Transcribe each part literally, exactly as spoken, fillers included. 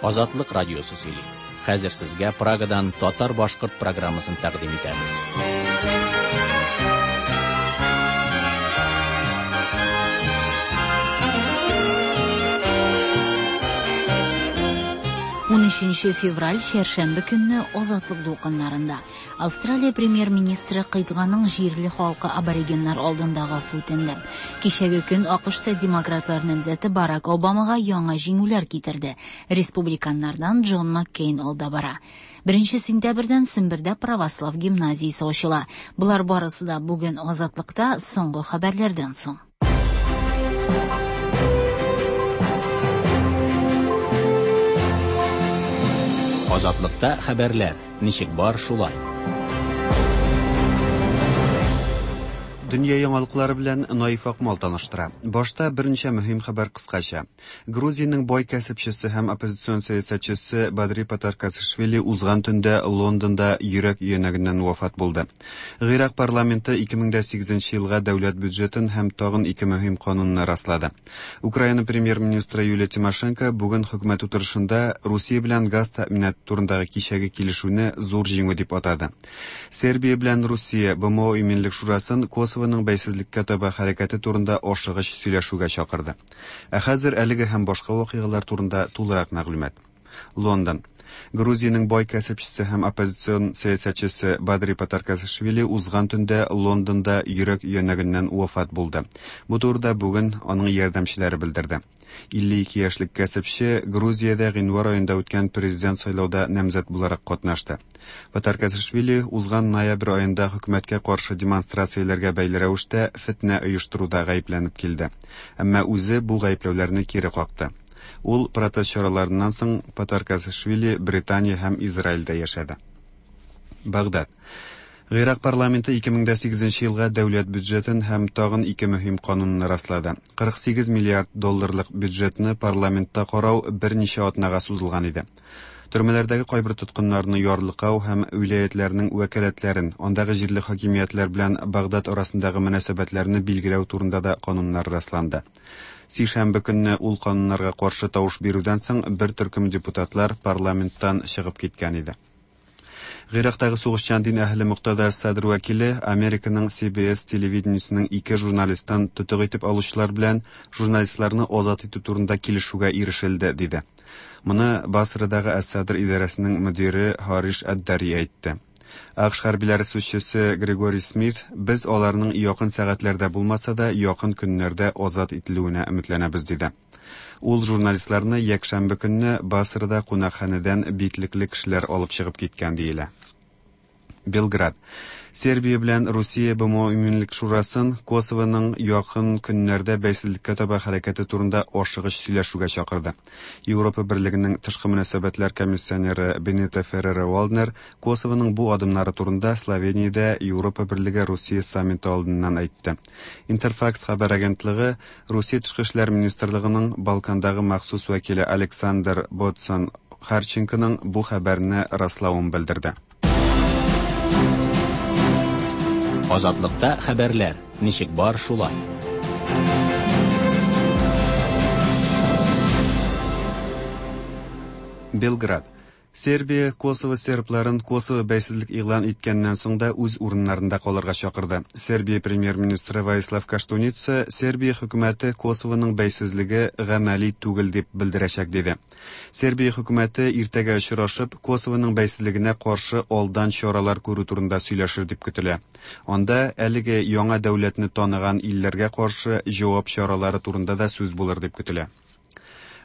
Азатлык радиосы сөйли. Хәзер сезгә Прагадан татар-башкорт программасын тәкъдим итәбез. Унөченче февраль чәршәмбе көнне Азатлык дулкыннарында Австралия премьер-министры кыйтганың җирле халкы аборигеннар алдында гафу үтенде. Кичәге көн АКШта демократлар намзәте Барак Обамага яңа җиңүләр китерде. Республиканнардан Джон Маккейн алда бара. Беренче сентябрьдән Сембердә православ гимназиясе ачыла. Болар барысы да бүген Азатлыкта соңгы хәбәрләрдән соң. Азатлыкта хәбәрләр ничек бар шулай. Дөнья яңалыклары белән Наиф Акмал таныштыра. Башта берничә мөһим хәбәр кыскача. Грузиянең бай кәсепчесе һәм оппозицион сәясәтчесе Бадри Патаркацишвили узган төндә Лондонда йөрәк өянәгеннән вафат булды. Гыйрак парламенты ике мең дә сигезенче елга дәүләт бюджетын һәм тагын ике мөһим канунны раслады. Украина премьер-министры Юлия Тимошенко бүген хөкүмәт утырышында Русия белән газ тәэминаты турындагы кичәге килешүне зур җиңү дип атады. Сербия белән Русия Б М О Иминлек Шурасын Косовоның бәйсезлеккә таба хәрәкәте турында ашыгыч сөйләшүгә чакырды. Ә хәзер әлеге һәм башка вакыйгалар турында тулырак мәгълүмат. Лондон. Грузиянең бай кәсепчесе һәм оппозицион сәясәтчесе Бадри Патаркацишвили узган төндә Лондонда йөрәк өянәгеннән вафат булды. Бу турыда бүген аның ярдәмчеләре белдерде. Илле ике яшьлек кәсепче Грузиядә гыйнвар аенда үткән президент сайлауда намзәт буларак катнашты. Патаркацишвили узган ноябрь аенда хөкүмәткә каршы демонстрацияләргә бәйле рәвештә фетнә оештыруда гаепләнеп килде. Әмма үзе бу гаепләүләрне кире какты. Ул протест чараларыннан соң Патаркацишвили Британия һәм Израильдә яшәде. Багдад. Гыйрак парламенты ике мең дә сигезенче елга дәүләт бюджетын һәм тагын ике мөһим канунны раслады. Кырык сигез миллиард долларлык бюджетны парламентта карау берничә атнага сузылган иде. Төрмәләрдәге кайбер тоткыннарны ярлыкау һәм вилаятләрнең вәкаләтләрен, андагы җирле хакимиятләр белән Багдад арасындагы мөнәсәбәтләрне билгеләү турында да кануннар расланды. Сишәмбе көнне ул кануннарга каршы тавыш бирүдән соң бер төркем депутатлар парламенттан чыгып киткән иде. Гыйрактагы сугышчан дин әһеле Муктада Садр вәкиле Американың Си Би Эс телевидениесенең ике журналистын тотык итеп алучылар белән журналистларны азат итү турында килешүгә ирешелде, диде. Моны Басрадагы Әс-Садр идарәсенең мөдире Хариш Ад-Дари әйтте. АКШ хәрбиләре сүзчесе Григорий Смит, без аларның якын сәгатьләрдә булмаса да, якын көннәрдә азат ителүенә өметләнәбез, диде. Ул журналистларны якшәмбе көнне Басрада кунакханәдән битлекле кешеләр алып чыгып киткән диелә. Белград. Сербия белән Русия Б М О Иминлек Шурасын Косовоның якын көннәрдә бәйсезлеккә таба хәрәкәте турында ашыгыч сөйләшүгә чакырды. Европа Берлегенең тышкы мөнәсәбәтләр комиссионеры Бенито Ферреро Валднер Косовоның бу адымнары турында Словениядә Европа Берлеге Русия саммиты алдыннан әйтте. Интерфакс хәбәр агентлыгы Русия тышкы эшләр министрлыгының Балкандагы махсус вәкиле Александр Ботсон Харченконың бу хәбәрне раславын белдерде. Азатлыкта хәбәрләр ничек бар шулай. Белград. Сербия Косово сербларын Косово бәйсезлек игълан иткәннән соң да үз урыннарында калырга чакырды. Сербия премьер-министры Воислав Каштуница Сербия хөкүмәте Косовоның бәйсезлеге гамәли түгел дип белдерәчәк диде. Сербия хөкүмәте иртәгә очрашып Косовоның бәйсезлегенә каршы алдан чаралар күрү турында сөйләшер дип көтелә. Анда әлеге яңа дәүләтне таныган илләргә каршы җавап чаралары турында да сүз булыр дип көтелә.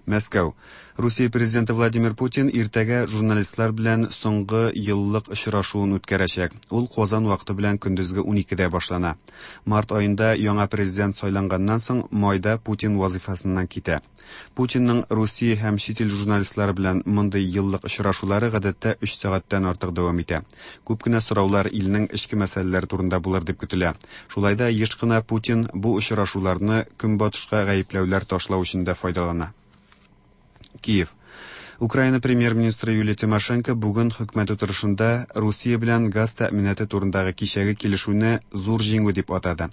Мәскәү. Русия президенты Владимир Путин иртәгә журналистлар белән соңгы еллык очрашуын үткәрәчәк. Ул Казан вакыты белән көндезге уникедә башлана. Март аенда яңа президент сайланганнан соң майда Путин вазифасыннан китә. Путинның Русия һәм чит ил журналистлары белән мондый еллык очрашулары гадәттә өч сәгатьтән артык дәвам итә. Күп кенә сораулар илнең эчке мәсьәләләре турында булыр дип көтелә. Шулай да еш кына Путин бу очрашуларны көнбатышка гаепләүләр ташлау өчен дә файдалана. Киев. Украина премьер-министры Юлия Тимошенко бүген хөкүмәт утырышында Русия белән газ тәэминаты турындагы кичәге килешүне зур җиңү дип атады.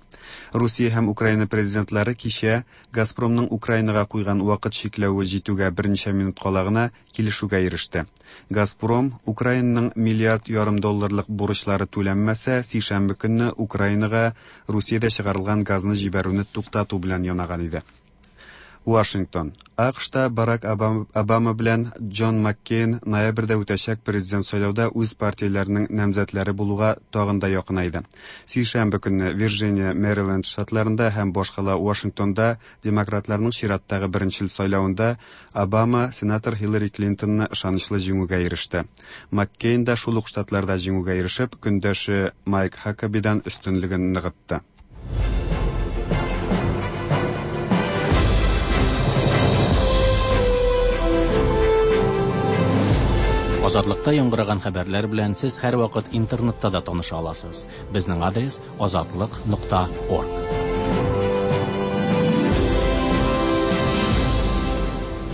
Русия һәм Украина президентлары кичә Газпромның Украинага куйган вакыт чикләве җитүгә берничә минут кала гына килешүгә иреште. Газпром Украинаның миллиард ярым долларлык бурычлары түләнмәсә, сишәмбе көнне Украинага Русиядә чыгарылган газны җибәрүне туктату белән янаган иде. Вашингтон. АКШта Барак Обама белән Джон Маккейн ноябрьдә үтәчәк президент сайлауда үз партияләренең намзәтләре булуга тагын да якынайды. Сишәмбе көнне Вирджиния, Мэриленд штатларында һәм башкала Вашингтонда демократларның чираттагы беренчел сайлавында Обама сенатор Хиллари Клинтонны ышанычлы җиңүгә иреште. Маккейн да шул ук штатларда җиңүгә ирешеп, көндәше Майк Хакабидан өстенлеген ныгытты. Азатлыкта яңгыраган хәбәрләр белән сез һәрвакыт интернетта да таныша аласыз. Безнең адрес азатлык нокта орг.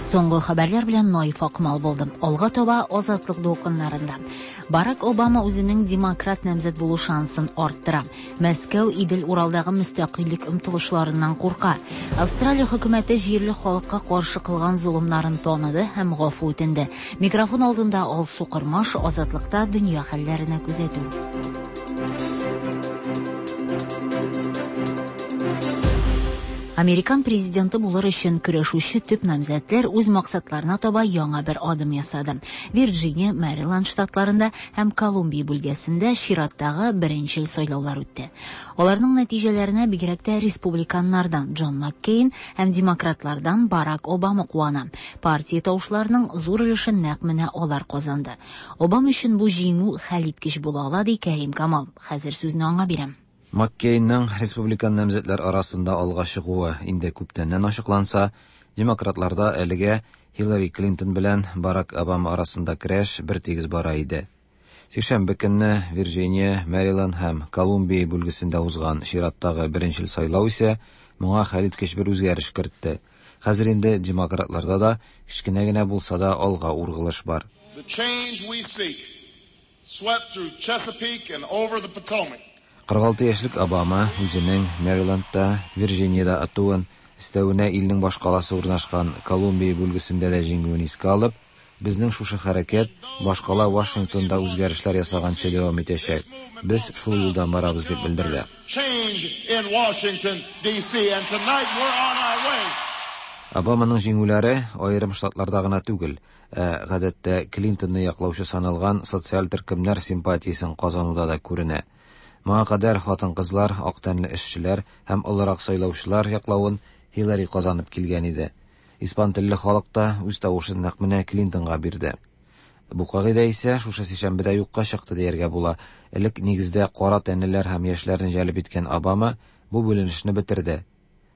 Соңгы хәбәрләр белән Наиф Акмал булдым. Алга таба Азатлык дулкыннарында. Барак Обама үзенең демократ намзәт булу шансын арттыра. Мәскәү Идел-Уралдагы мөстәкыйльлек омтылышларыннан курка. Австралия хөкүмәте җирле халыкка каршы кылган золымнарын таныды һәм гафу үтенде. Микрофон алдында Алсу Кырмаш, Азатлыкта дөнья хәлләренә күзәтү. Американ президенты булыр өчен көрәшүче төп намзәтләр үз максатларына таба яңа бер адым ясады. Вирджиния, Мэриленд штатларында һәм Колумбия бүлгәсендә чираттагы беренчел сайлаулар үтте. Аларның нәтиҗәләренә бигрәк тә республиканнардан Джон Маккейн һәм демократлардан Барак Обама куана. Партия тавышларының зур өлешен нәкъ менә алар казанды. Обама өчен бу җиңү хәлиткеч була ала, ди Кәрим Камал. Хәзер сүзне аңа бирәм. Маккейнның республикан намзәтләр арасында алга чыгуы инде күптәннән ачыкланса, демократларда әлегә Хиллари Клинтон белән Барак Обама арасында көрәш бер тигез бара иде. Сишәмбе көнне Вирджиния, Мэриленд һәм Колумбия бүлгесендә узган чираттагы беренчел сайлау исә моңа хәлиткеч бер үзгәреш кертте. Хәзер инде демократларда да кечкенә генә булса да алга ургылыш бар. The change we seek swept through Chesapeake and over the Potomac. кырык алты яшьлек Обама үзенең Мэрилендта, Вирджиниядә атуын, өстәвенә илнең башкаласы урнашкан Колумбия бүлгесендә дә җиңүен искә алып, безнең шушы хәрәкәт башкала Вашингтонда үзгәрешләр ясаганчы дәвам итәчәк. Без шул юлдан барабыз дип белдерде. Обаманың җиңүләре аерым штатларда гына түгел, ә гадәттә Клинтонны яклаучы саналган социаль төркемнәр симпатиясен казануда да күренә. Моңа кадәр хатын-кызлар, ак тәнле эшчеләр һәм олырак сайлаучылар яклавын Хиллари казанып килгән иде. Испан телле халык та үз тавышын нәкъ менә Клинтонга бирде. Бу кагыйдә исә шушы сишәмбедә юкка чыкты дияргә була. Элек нигездә кара тәнлеләр һәм яшьләрне җәлеп иткән Обама бу бүленешне бетерде.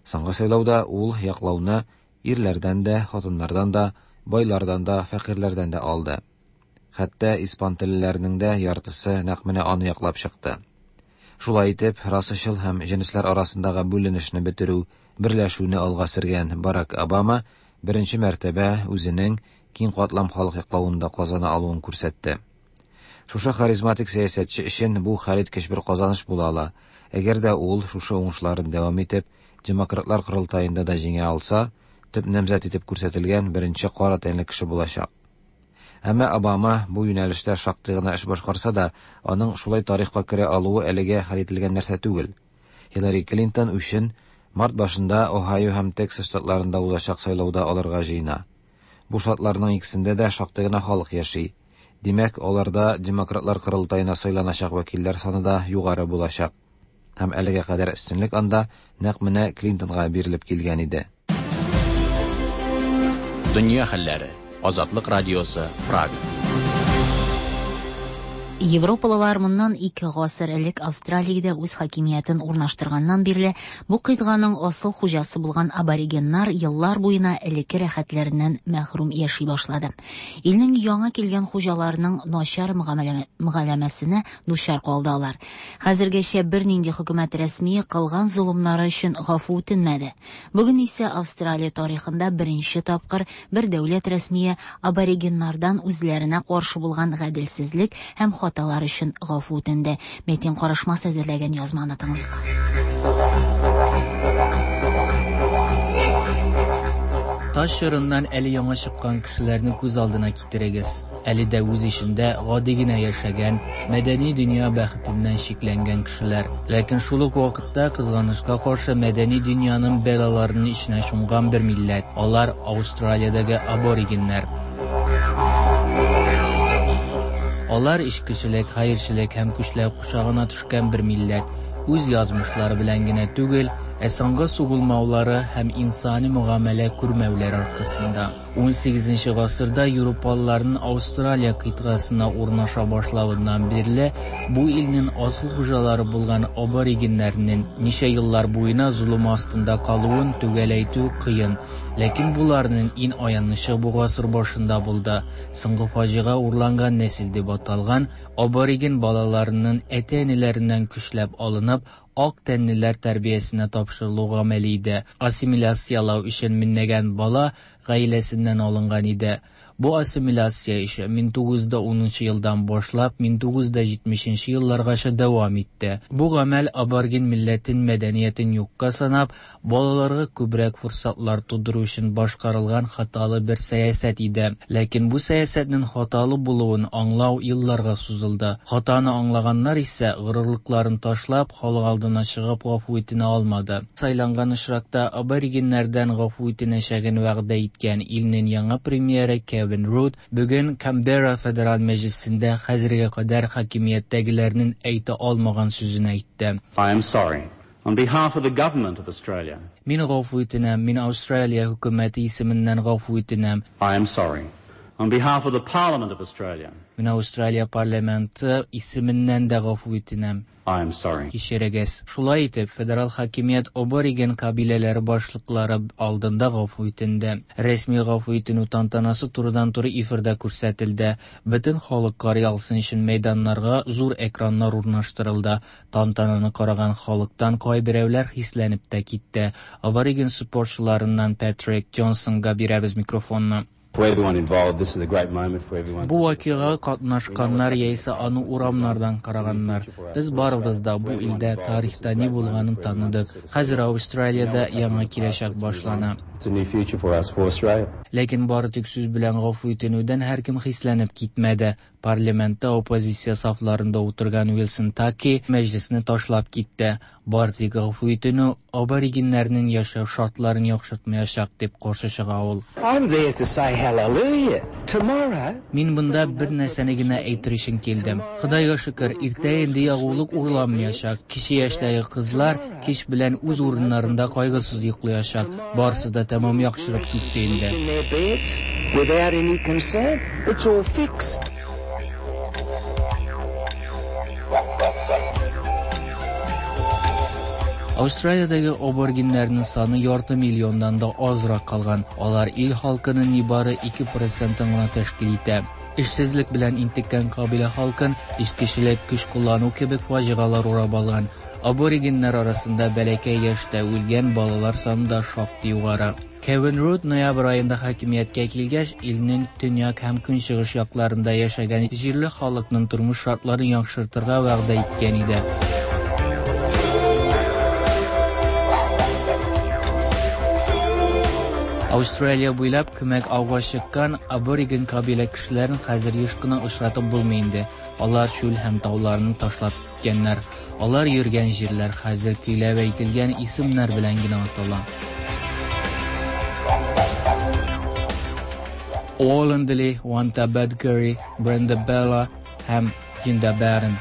Соңгы сайлауда ул яклауны ирләрдән дә, хатыннардан да, байлардан да, фәкыйрьләрдән дә алды. Хәтта испан теллеләрнең дә яртысы нәкъ менә аны яклап чыкты. Шулай итеп, расачыл һәм җенесләр арасындагы бүленешне бетерү, берләшүне алга сөргән Барак Обама беренче мәртәбә үзенең киң катлам халык яклавында казана алуын күрсәтте. Шушы харизматик сәясәтче өчен бу хәлиткеч бер казаныш була ала. Әгәр дә ул шушы уңышларын дәвам итеп, демократлар корылтаенда да җиңә алса, төп намзәт итеп күрсәтелгән беренче кара тәнле кеше булачак. Әмма Обама бу юнәлештә шактый гына эш башкарса да, аның шулай тарихка керә алуы әлегә хәл ителгән нәрсә түгел. Хиллари Клинтон өчен март башында Ohio һәм Тексас штатларында узачак сайлауда алырга җыена. Бу штатларның икесендә дә шактый гына халык яши. Димәк, аларда демократлар корылтаена сайланачак вәкилләр саны да югары булачак. Һәм әлегә кадәр өстенлек анда нәкъ менә Клинтонга бирелеп килгән иде. Дөнья хәлләре. Азатлык радиосы, Прага. Европалылар моннан ике гасыр элек Австралиядә үз хакимиятен урнаштырганнан бирле бу кыйтганың асыл хуҗасы булган аборигеннар еллар буена элекке рәхәтләреннән мәхрүм яши башлады. Илнең яңа килгән хуҗаларының начар мөгамәләсенә дучар калды алар. Хәзергәчә бернинди хөкүмәт рәсмие кылган золымнары өчен гафу үтенмәде. Бүген исә Австралия тарихында беренче тапкыр бер дәүләт рәсмие аборигеннардан үзләренә каршы булган гаделсезлек һәм хаталар өчен гафу үтенде. Метин Карышмас әзерләгән язманы тыңлыйк. Таш чорыннан әле яңа чыккан кешеләрне күз алдына китерегез. Әле дә үз эчендә гади генә яшәгән, мәдәни дөнья бәхетеннән шикләнгән кешеләр. Ләкин шул ук вакытта кызганычка каршы мәдәни дөньяның бәлаларының эченә чумган бер милләт. Алар Австралиядәге аборигеннәр. Алар эчкечелек, хәерчелек һәм көчләү кочагына төшкән бер милләт. Үз язмышлары белән генә түгел, ә санга сугылмаулары һәм инсани мөгамәлә күрмәүләре аркасында. ун сигезенче гасырда европалыларның Австралия кыйтгасына урнаша башлавыннан бирле бу илнең асыл хуҗалары булган аборигеннәрнең ничә еллар буена золым астында калуын төгәл әйтү кыен. Ләкин буларның иң аянычы бу гасыр башында булды. Соңгы фаҗига урланган нәсел дип аталган абориген балаларының әти-әниләреннән көчләп алынып, ак тәнлеләр тәрбиясенә тапшырылу гамәле иде. Ассимиляциялау өчен меңләгән бала гаиләсеннән алынган иде. Бу ассимиляция эше мең тугыз йөз унынчы елдан башлап мең тугыз йөз җитмешенче елларгача дәвам итте. Бу гамәл абориген милләтен мәдәниятен юкка санап, балаларга күбрәк форсатлар тудыру өчен башкарылган хаталы бер сәясәт иде. Ләкин бу сәясәтнең хаталы булуын аңлау елларга сузылды. Хатаны аңлаганнар исә горурлыкларын ташлап, халык алдына чыгып гафу итенә алмады. Сайланган очракта аборигеннәрдән гафу итенәчәген вәгъдә иткән илнең яңа премьеры Кевин Руд бүген Канберра федераль мәҗлесендә хәзергә кадәр хакимияттәгеләрнең әйтә алмаган сүзен әйтте. I am sorry. On behalf of the government of Australia. Мин гафу итенәм, мин Австралия хөкүмәте исеменнән гафу итенәм. I am sorry. On behalf of the Parliament of Australia. Мин Австралия парламенты исеменнән дә гафу итенәм. I am sorry. Кичерегез. Шулай итеп, федераль хакимият абориген кабиләләре башлыклары алдында гафу итенде. Рәсми гафу итенү тантанасы турыдан-туры эфирда күрсәтелде. Бөтен халык карый алсын өчен мәйданнарга зур экраннар урнаштырылды. Тантананы караган халыктан кайберәүләр хисләнеп тә китте. Абориген спортчыларыннан Патрик Джонсонга бирәбез микрофонны. For everyone involved, this is a great moment for everyone. Бу вакыйга катнашканнар яисә аны урамнардан караганнар. Без барыбыз да бу илдә тарихта ни булганын таныдык. Хәзер Австралиядә яңа киләчәк башлана. It's a new future for us, for Australia. Ләкин бары тик сүз белән гафу итенүдән һәркем хисләнеп китмәде. Парламентта оппозиция сафларында утырган Уилсон Таки мәҗлесне ташлап китте. Бары тик гафу итенү аборигеннәрнең яшәү шартларын яхшыртмаячак дип каршы чыга ул. I'm there to say hallelujah tomorrow. Мин монда бер нәрсәне генә әйтер өчен килдем. Худайга шөкер, иртә инде ягулык урланмаячак. Кече яшьтәге кызлар кич белән үз урыннарында кайгысыз йоклаячак. Барысы да тәмам яхшырып китте инде. In their beds without any concern. It's all fixed. Австралиядәге аборигеннәрнең саны ярты миллионнан да азрак калган. Алар ил халкының нибары ике процентын гына тәшкил итә. Эшсезлек белән интеккән кабилә халкын эчкечелек, көч куллану кебек фаҗигалар урап алган. Аборигеннәр арасында бәләкәй яшьтә үлгән балалар саны да шактый югары. Кевин Руд ноябрь аенда хакимияткә килгәч, илнең төньяк һәм көнчыгыш якларында яшәгән җирле халыкның тормыш шартларын яхшыртырга вәгъдә иткән иде. Австралия буйлап күмәк ауга чыккан абориген кабилә кешеләрен хәзер еш кына очратып булмый инде. Алар чүл һәм тауларны ташлап киткәннәр. Алар йөргән җирләр хәзер көйләп әйтелгән исемнәр белән генә атала. Wollondilly, Wantabadgery, Brindabella һәм Jindabaran.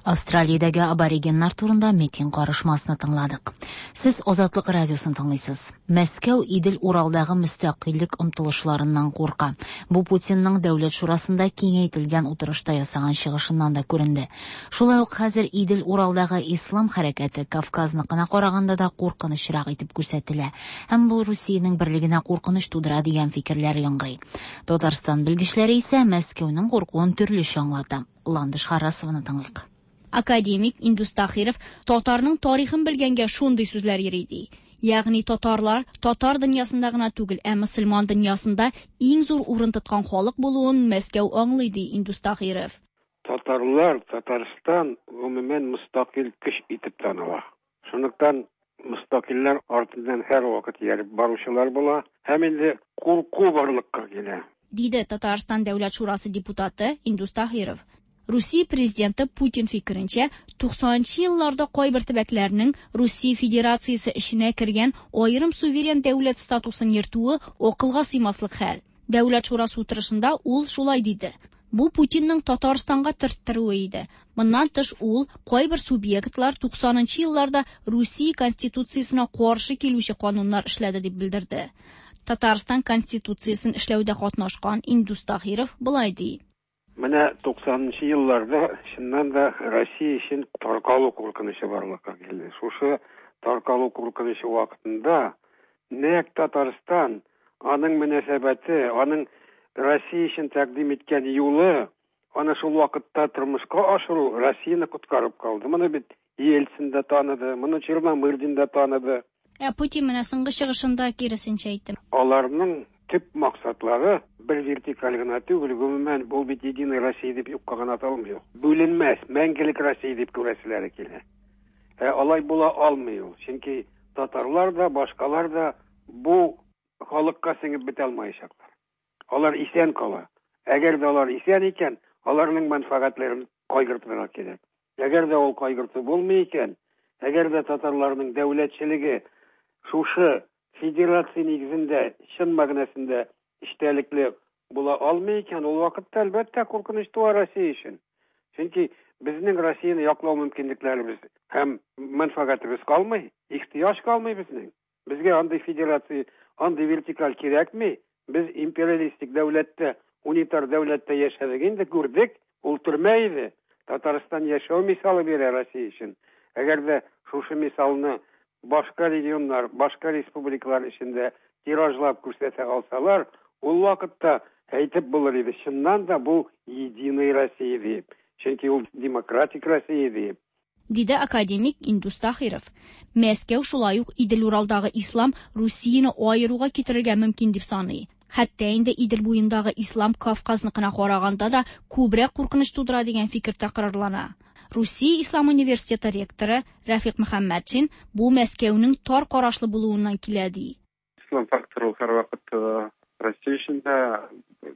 Австралиядәге аборигеннар турында Метин Карышмасны тыңладык. Сез Азатлык радиосын тыңлыйсыз. Мәскәү Идел-Уралдагы мөстәкыйльлек омтылышларыннан курка. Бу Путинның Дәүләт шурасында киңәйтелгән утырышта ясаган чыгышыннан да күренде. Шулай ук хәзер Идел-Уралдагы ислам хәрәкәте Кавказныкына караганда да куркынычрак итеп күрсәтелә. Һәм бу Русиянең берлегенә куркыныч тудыра дигән фикерләр яңгырый. Татарстан белгечләре исә Мәскәүнең куркуын төрлечә аңлата. Ландыш Харасованы тыңлыйк. Академик Индус Тахиров татарның тарихын белгәнгә шундый сүзләр йөри ди. Ягъни татарлар татар дөньясында гына түгел, ә мөселман дөньясында иң зур урын тоткан халык булуын Мәскәү аңлый ди Индус Тахиров. Татарлар, Татарстан гомумән мөстәкыйль көч итеп таныла. Шунлыктан мөстәкыйльләр артыннан һәрвакыт ияреп баручылар була һәм инде курку барлыкка килә. Диде Татарстан Дәүләт шурасы депутаты Индус Тахиров. Русия президенты Путин фикеренчә, туксанынчы елларда кайбер төбәкләрнең Русия Федерациясе эченә кергән аерым суверен дәүләт статусын йөртүе акылга сыймаслык хәл. Дәүләт шурасы утырышында ул шулай диде. Бу Путинның Татарстанга төрттерүе иде. Моннан тыш ул кайбер субъектлар туксанынчы елларда Русия Конституциясенә каршы килүче кануннар эшләде дип белдерде. Татарстан Конституциясен эшләүдә катнашкан Индус Тахиров болай ди. Менә туксанынчы елларда чыннан да Россия өчен таркалу куркынычы барлыкка килде. Шушы таркалу куркынычы вакытында нәкъ Татарстан, аның мөнәсәбәте, аның Россия өчен тәкъдим иткән юлы, аны шул вакытта тормышка ашыру Россияне коткарып калды. Моны бит Ельцин дә таныды, моны Черномырдин да таныды. Ә Путин менә соңгы чыгышында киресенчә әйтте. Аларның төп максатлары бер вертикаль гына түгел, гомумән бу бит Единая Россия дип юкка гына аталмый. Бүленмәс, мәңгелек Россия дип күрәселәре килә. Ә алай була алмый ул. Чөнки татарлар да, башкалар да бу халыкка сеңеп бетә алмаячаклар. Алар исән кала. Әгәр дә алар исән икән, аларның мәнфәгатьләрен кайгыртырга кирәк. Әгәр дә ул кайгырту булмый икән, әгәр дә татарларның дәүләтчелеге шушы федерация нигезендә чын мәгънәсендә эчтәлекле була алмый икән, ул вакытта әлбәттә куркыныч туа Россия өчен. Чөнки безнең Россияне яклау мөмкинлекләребез һәм мәнфәгатебез калмый, ихтыяҗ калмый безнең. Безгә андый федерация, андый вертикаль кирәкми. Без империалистик дәүләттә, унитар дәүләттә яшәдек инде, күрдек, ул төрмә иде. Татарстан яшәү мисалы бирә Россия өчен. Әгәр дә шушы мисалны башка регионнар, башка республикалар эчендә тиражлап күрсәтә алсалар, ул вакытта әйтеп булыр иде, чыннан да бу Единая Россия дип. Чөнки ул демократик Россия дип. Диде академик Индус Тахиров. Мәскәү шулай ук Идел-Уралдагы ислам Русияне аеруга китерергә мөмкин дип саный. Хәтта инде Идел буендагы ислам Кавказныкына караганда да күбрәк куркыныч тудыра дигән фикер тәкрарлана. Русия Ислам университеты ректоры Рафик Мөхәммәтшин бу Мәскәүнең тар карашлы булуыннан килә ди. Ислам факторы һәрвакыт Россия өчен дә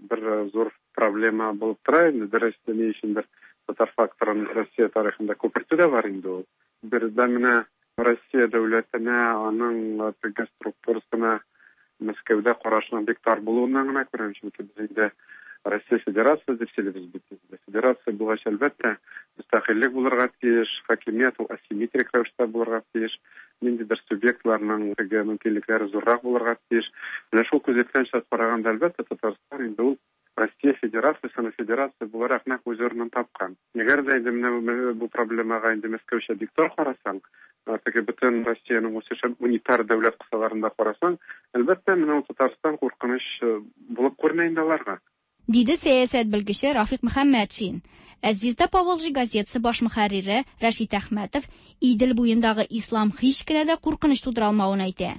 бер зур проблема булып тора инде. Дөрес, ни өчендер татар факторын Россия тарихында күпертү дә бар инде ул. Бердән менә Россия дәүләтенә, аның теге структурасына Мәскәүдә карашының бик тар булуыннан гына күрәм, чөнки без инде Россия Федерациясе дип сөйлибез бит инде. Федерация булгач, әлбәттә, мөстәкыйльлек булырга тиеш, хакимият ул асимметрик рәвештә булырга тиеш, ниндидер субъектларның теге мөмкинлекләре зуррак булырга тиеш. Менә шул күзәткәнчә караганда, әлбәттә, Татарстан инде ул Россия Федерациясенең федерация буларак нәкъ үз урынын тапкан. Әгәр дә инде менә бу проблемага инде Мәскәүчә бик тар карасаң, теге бөтен Россиянең үсеше унитар дәүләт кысаларында карасаң, әлбәттә, менә ул Татарстан куркыныч булып күренә инде аларга. Диде сәясәт белгече Рафик Мөхәммәтшин. Ә Звезда Поволжья газетасы баш мөхәррире Рәшит Әхмәтов Идел буендагы ислам һич кенә дә куркыныч тудыра алмавын әйтә.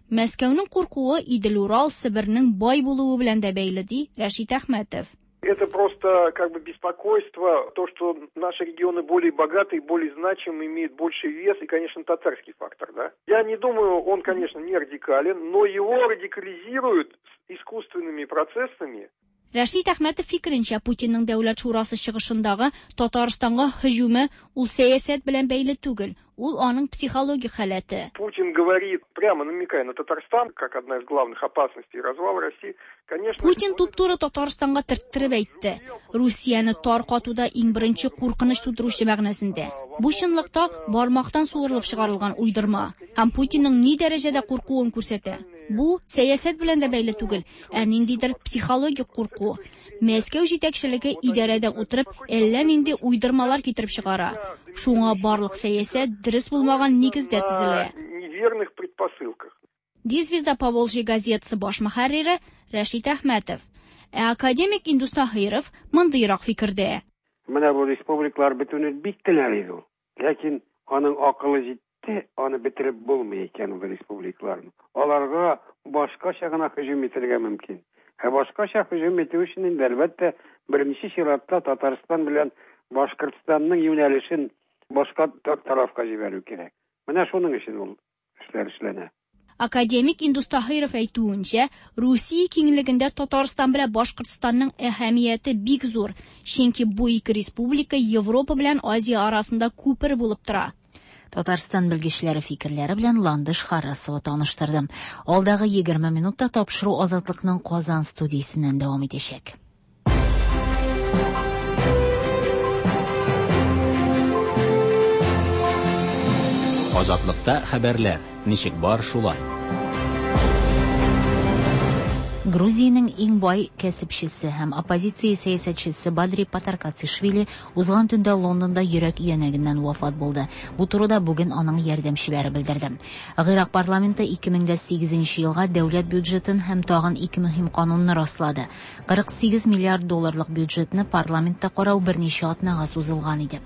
Мәскәүнең куркуы Идел-Урал Себернең бай булуы белән дә бәйле, ди Рәшит Әхмәтов. Это просто как бы беспокойство, то, что наши регионы более богатые, более значимые, имеют больший вес и, конечно, татарский фактор, да. Я не думаю, он, конечно, не радикален, но его радикализируют искусственными процессами. Рәшит Әхмәтов фикеренчә, Путинның Дәүләт шурасы чыгышындагы Татарстанга һөҗүме ул сәясәт белән бәйле түгел, ул аның психологик халәте. Путин говорит, прямо намекая на Татарстан, как одна из главных опасностей развала России, конечно... Путин туп-туры Татарстанга төрттереп әйтте. Русияне таркатуда иң беренче куркыныч тудыручы мәгънәсендә. Бу чынлыкта бармактан суырылып чыгарылган уйдырма һәм Путинның ни дәрәҗәдә куркуын күрсәтә. Бу сәясәт белән дә бәйле түгел, ә ниндидер психологик курку. Мәскәү җитәкчелеге идарәдә утырып, әллә нинди уйдырмалар китереп чыгара. Шуңа барлык сәясәт дөрес булмаган нигездә төзелә. Неверных предпосылках. Ди «Звезда Поволжья» газетасы баш мөхәррире Рәшит Әхмәтов. Ә академик Индус Таһиров мондыйрак фикердә. Менә бу республикалар бетүне бик теләр иде ул. Ләкин аның акылы җитте, аны бетереп булмый икән ул республикаларны. Аларга башкача гына һөҗүм итәргә мөмкин. Ә башкача һөҗүм итү өчен инде әлбәттә беренче чиратта Татарстан белән Башкортстанның юнәлешен башка тарафка җибәрү кирәк. Менә шуның өчен ул эшләр эшләнә. Академик Индус Таһиров әйтүенчә, Русия киңлегендә Татарстан белән Башкортстанның әһәмияте бик зур, чөнки бу ике республика Европа белән Азия арасында күпер булып тора. Татарстан белгечләре фикерләре белән Ландыш Харрасова таныштырды. Алдагы егерме минутта тапшыру Азатлыкның Казан студиясеннән дәвам итәчәк. Азатлыкта хәбәрләр ничек бар шулай. Грузиянең иң бай кәсепчесе һәм оппозиция сәясәтчесе Бадри Патаркацишвили узган төндә Лондонда йөрәк өянәгеннән вафат булды. Бу турыда бүген аның ярдәмчеләре белдерде. Гыйрак парламенты ике мең дә сигезенче елга дәүләт бюджетын һәм тагын ике мөһим канунны раслады. кырык сигез миллиард долларлык бюджетны парламентта карау берничә атнага сузылган иде.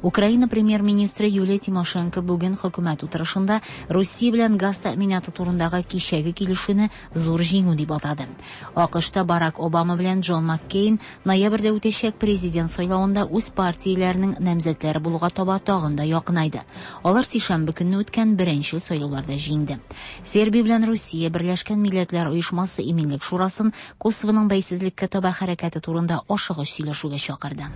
Украина премьер-министры Юлия Тимошенко бүген хөкүмәт утырышында Русия белән газ тәэминаты турындагы кичәге килешүне зур җиңү дип атады. АКШта Барак Обама белән Джон Маккейн ноябрьдә үтәчәк президент сайлавында үз партияләренең намзәтләре булуга таба тагын да якынайды. Алар сишәмбе көнне үткән беренче сайлауларда җиңде. Сербия белән Русия Берләшкән Милләтләр Оешмасы Иминлек Шурасын Косовоның бәйсезлеккә таба хәрәкәте турында ашыгыч сөйләшүгә чакырды.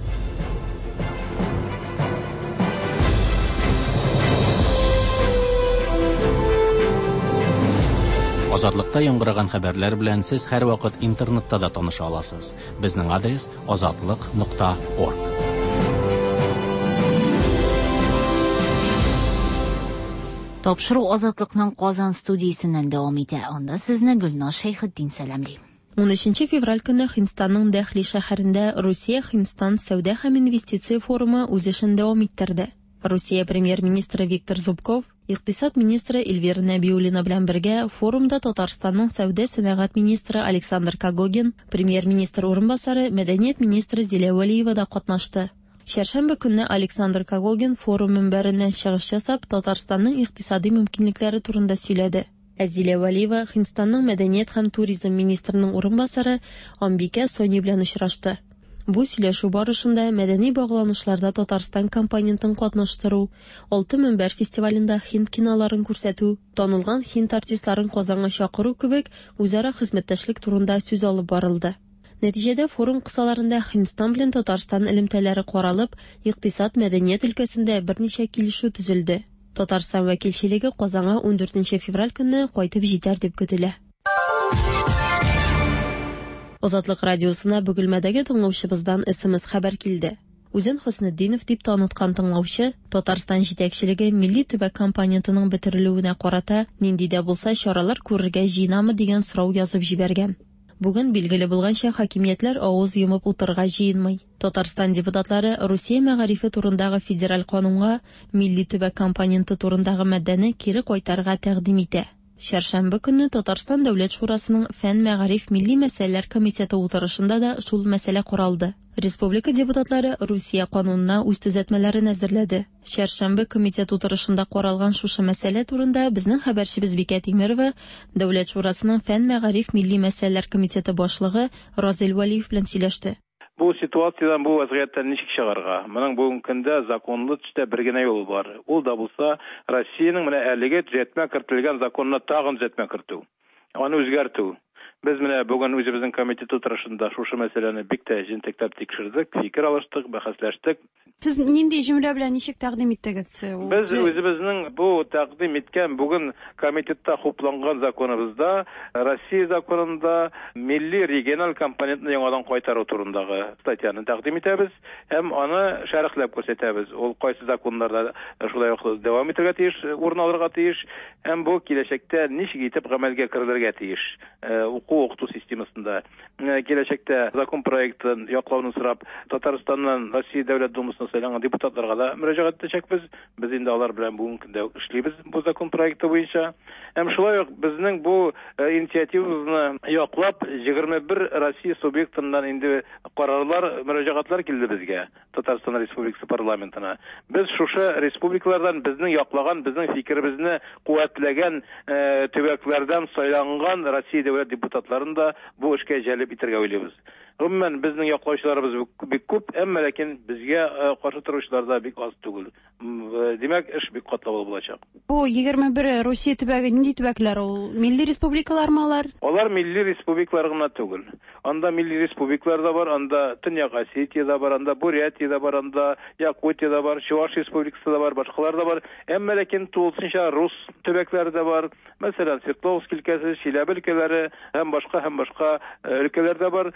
Азатлыкта яңгыраган хәбәрләр белән сез һәрвакыт интернетта да таныша аласыз. Безнең адрес азатлык нокта орг. Тапшыру Азатлыкның Казан студиясеннән дәвам итә. Анда сезне Гөлназ Шәйхетдин сәламли. Унөченче февраль көнне Һиндстанның Дәһли шәһәрендә Русия-Һиндстан сәүдә һәм инвестиция форумы үз эшен дәвам иттерде. Русия премьер-министры Виктор Зубков, икътисад министры Эльвира Нәбиуллина белән бергә форумда Татарстанның сәүдә сәнәгать министры Александр Когогин, премьер-министр урынбасары, мәдәният министры Зилә Вәлиева да катнашты. Чәршәмбе көнне Александр Когогин форум мөнбәреннән чыгыш ясап, Татарстанның икътисади мөмкинлекләре турында сөйләде. Ә Зилә Вәлиева Һиндстанның мәдәният һәм туризм министрының урынбасары Амбика Сони белән очрашты. Бу сөйләшү барышында мәдәни багланышларда Татарстан компонентын катнаштыру, Алты мөнбәр фестивалендә һинд киноларын күрсәтү, танылган һинд артистларын Казанга чакыру кебек үзара хезмәттәшлек турында сүз алып барылды. Нәтиҗәдә форум кысаларында Һиндстан белән Татарстан элемтәләре каралып, икътисад, мәдәният өлкәсендә берничә килешү төзелде. Татарстан вәкилчелеге Казанга ундүртенче февраль көнне кайтып җитәр дип көтелә. Азатлык радиосына Бөгелмәдәге тыңлаучыбыздан эс эм эс хәбәр килде. Үзен Хөснетдинов дип таныткан тыңлаучы Татарстан җитәкчелеге милли төбәк компонентының бетерелүенә карата нинди дә булса чаралар күрергә җыенамы дигән сорау язып җибәргән. Бүген билгеле булганча хакимиятләр авыз йомып утырырга җыенмый. Татарстан депутатлары Русия мәгарифе турындагы федераль канунга милли төбәк компоненты турындагы маддәне кире кайтарырга тәкъдим итә. Чәршәмбе көнне Татарстан Дәүләт Шурасының Фән, мәгариф, милли мәсьәләләр комитеты утырышында да шул мәсьәлә каралды. Республика депутатлары Русия канунына үз төзәтмәләрен әзерләде. Чәршәмбе комитет утырышында каралган шушы мәсьәлә турында безнең хәбәрчебез Бикә Тимирова Дәүләт Шурасының Фән, мәгариф, милли мәсьәләләр комитеты башлыгы Разил Вәлиев белән сөйләште. Бу ситуациядән, бу вазгыятьтән ничек чыгарга? Моның бүгенге көндә законлы төстә бер генә юл бар. Ул да булса Россиянең менә әлеге төзәтмә кертелгән законына тагын төзәтмә кертү. Аны үзгәртү. Без менә бүген үзебезнең комитет утырышында шушы мәсьәләне бик тә җентекләп тикшердек, фикер алыштык, бәхәсләштек. Сез нинди җөмлә белән ничек тәкъдим иттегез? Без үзебезнең бу тәкъдим иткән бүген комитетта хупланган законыбызда, Россия законында милли региональ компонентны яңадан кайтару турындагы статьяны тәкъдим итәбез һәм аны шәрехләп күрсәтәбез. Ул кайсы законнарда шулай ук дәвам итәргә тиеш, урын алырга тиеш һәм бу киләчәктә ничек итеп гамәлгә керергә тиеш. Уку укыту системасында киләчәктә закон проектын яклауны сорап Татарстаннан Россия Дәүләт Думасына сайланган депутатларга да мөрәҗәгать итәчәкбез. Без инде алар белән бүгенге көндә эшлибез бу закон проекты буенча. Һәм шулай ук безнең бу инициативабызны яклап егерме бер Россия субъектыннан инде карарлар, мөрәҗәгатьләр килде безгә, Татарстан Республикасы парламентына. Без шушы республикалардан безнең яклаган, безнең фикеребезне куәтләгән төбәкләрдән сайланган Россия дәүләт депутатларын да бу эшкә җәлеп итәргә уйлыйбыз. Гомумән, безнең яклаучыларыбыз бик күп, әмма ләкин безгә каршы торучылар да бик аз түгел. Димәк, эш бик катлаулы булачак. Бу егерме бер Русия төбәге нинди төбәкләр ул? Милли республикалармы алар? Алар милли республикалар гына түгел. Анда милли республикалар да бар, анда Төньяк Осетия да бар, анда Бурятия да бар, анда Якутия да бар, Чуваш республикасы да бар, башкалар да бар. Әмма ләкин тулысынча рус төбәкләре дә бар. Мәсәлән, Свердловск өлкәсе, Чиләбе өлкәләре һәм башка һәм башка өлкәләр дә бар.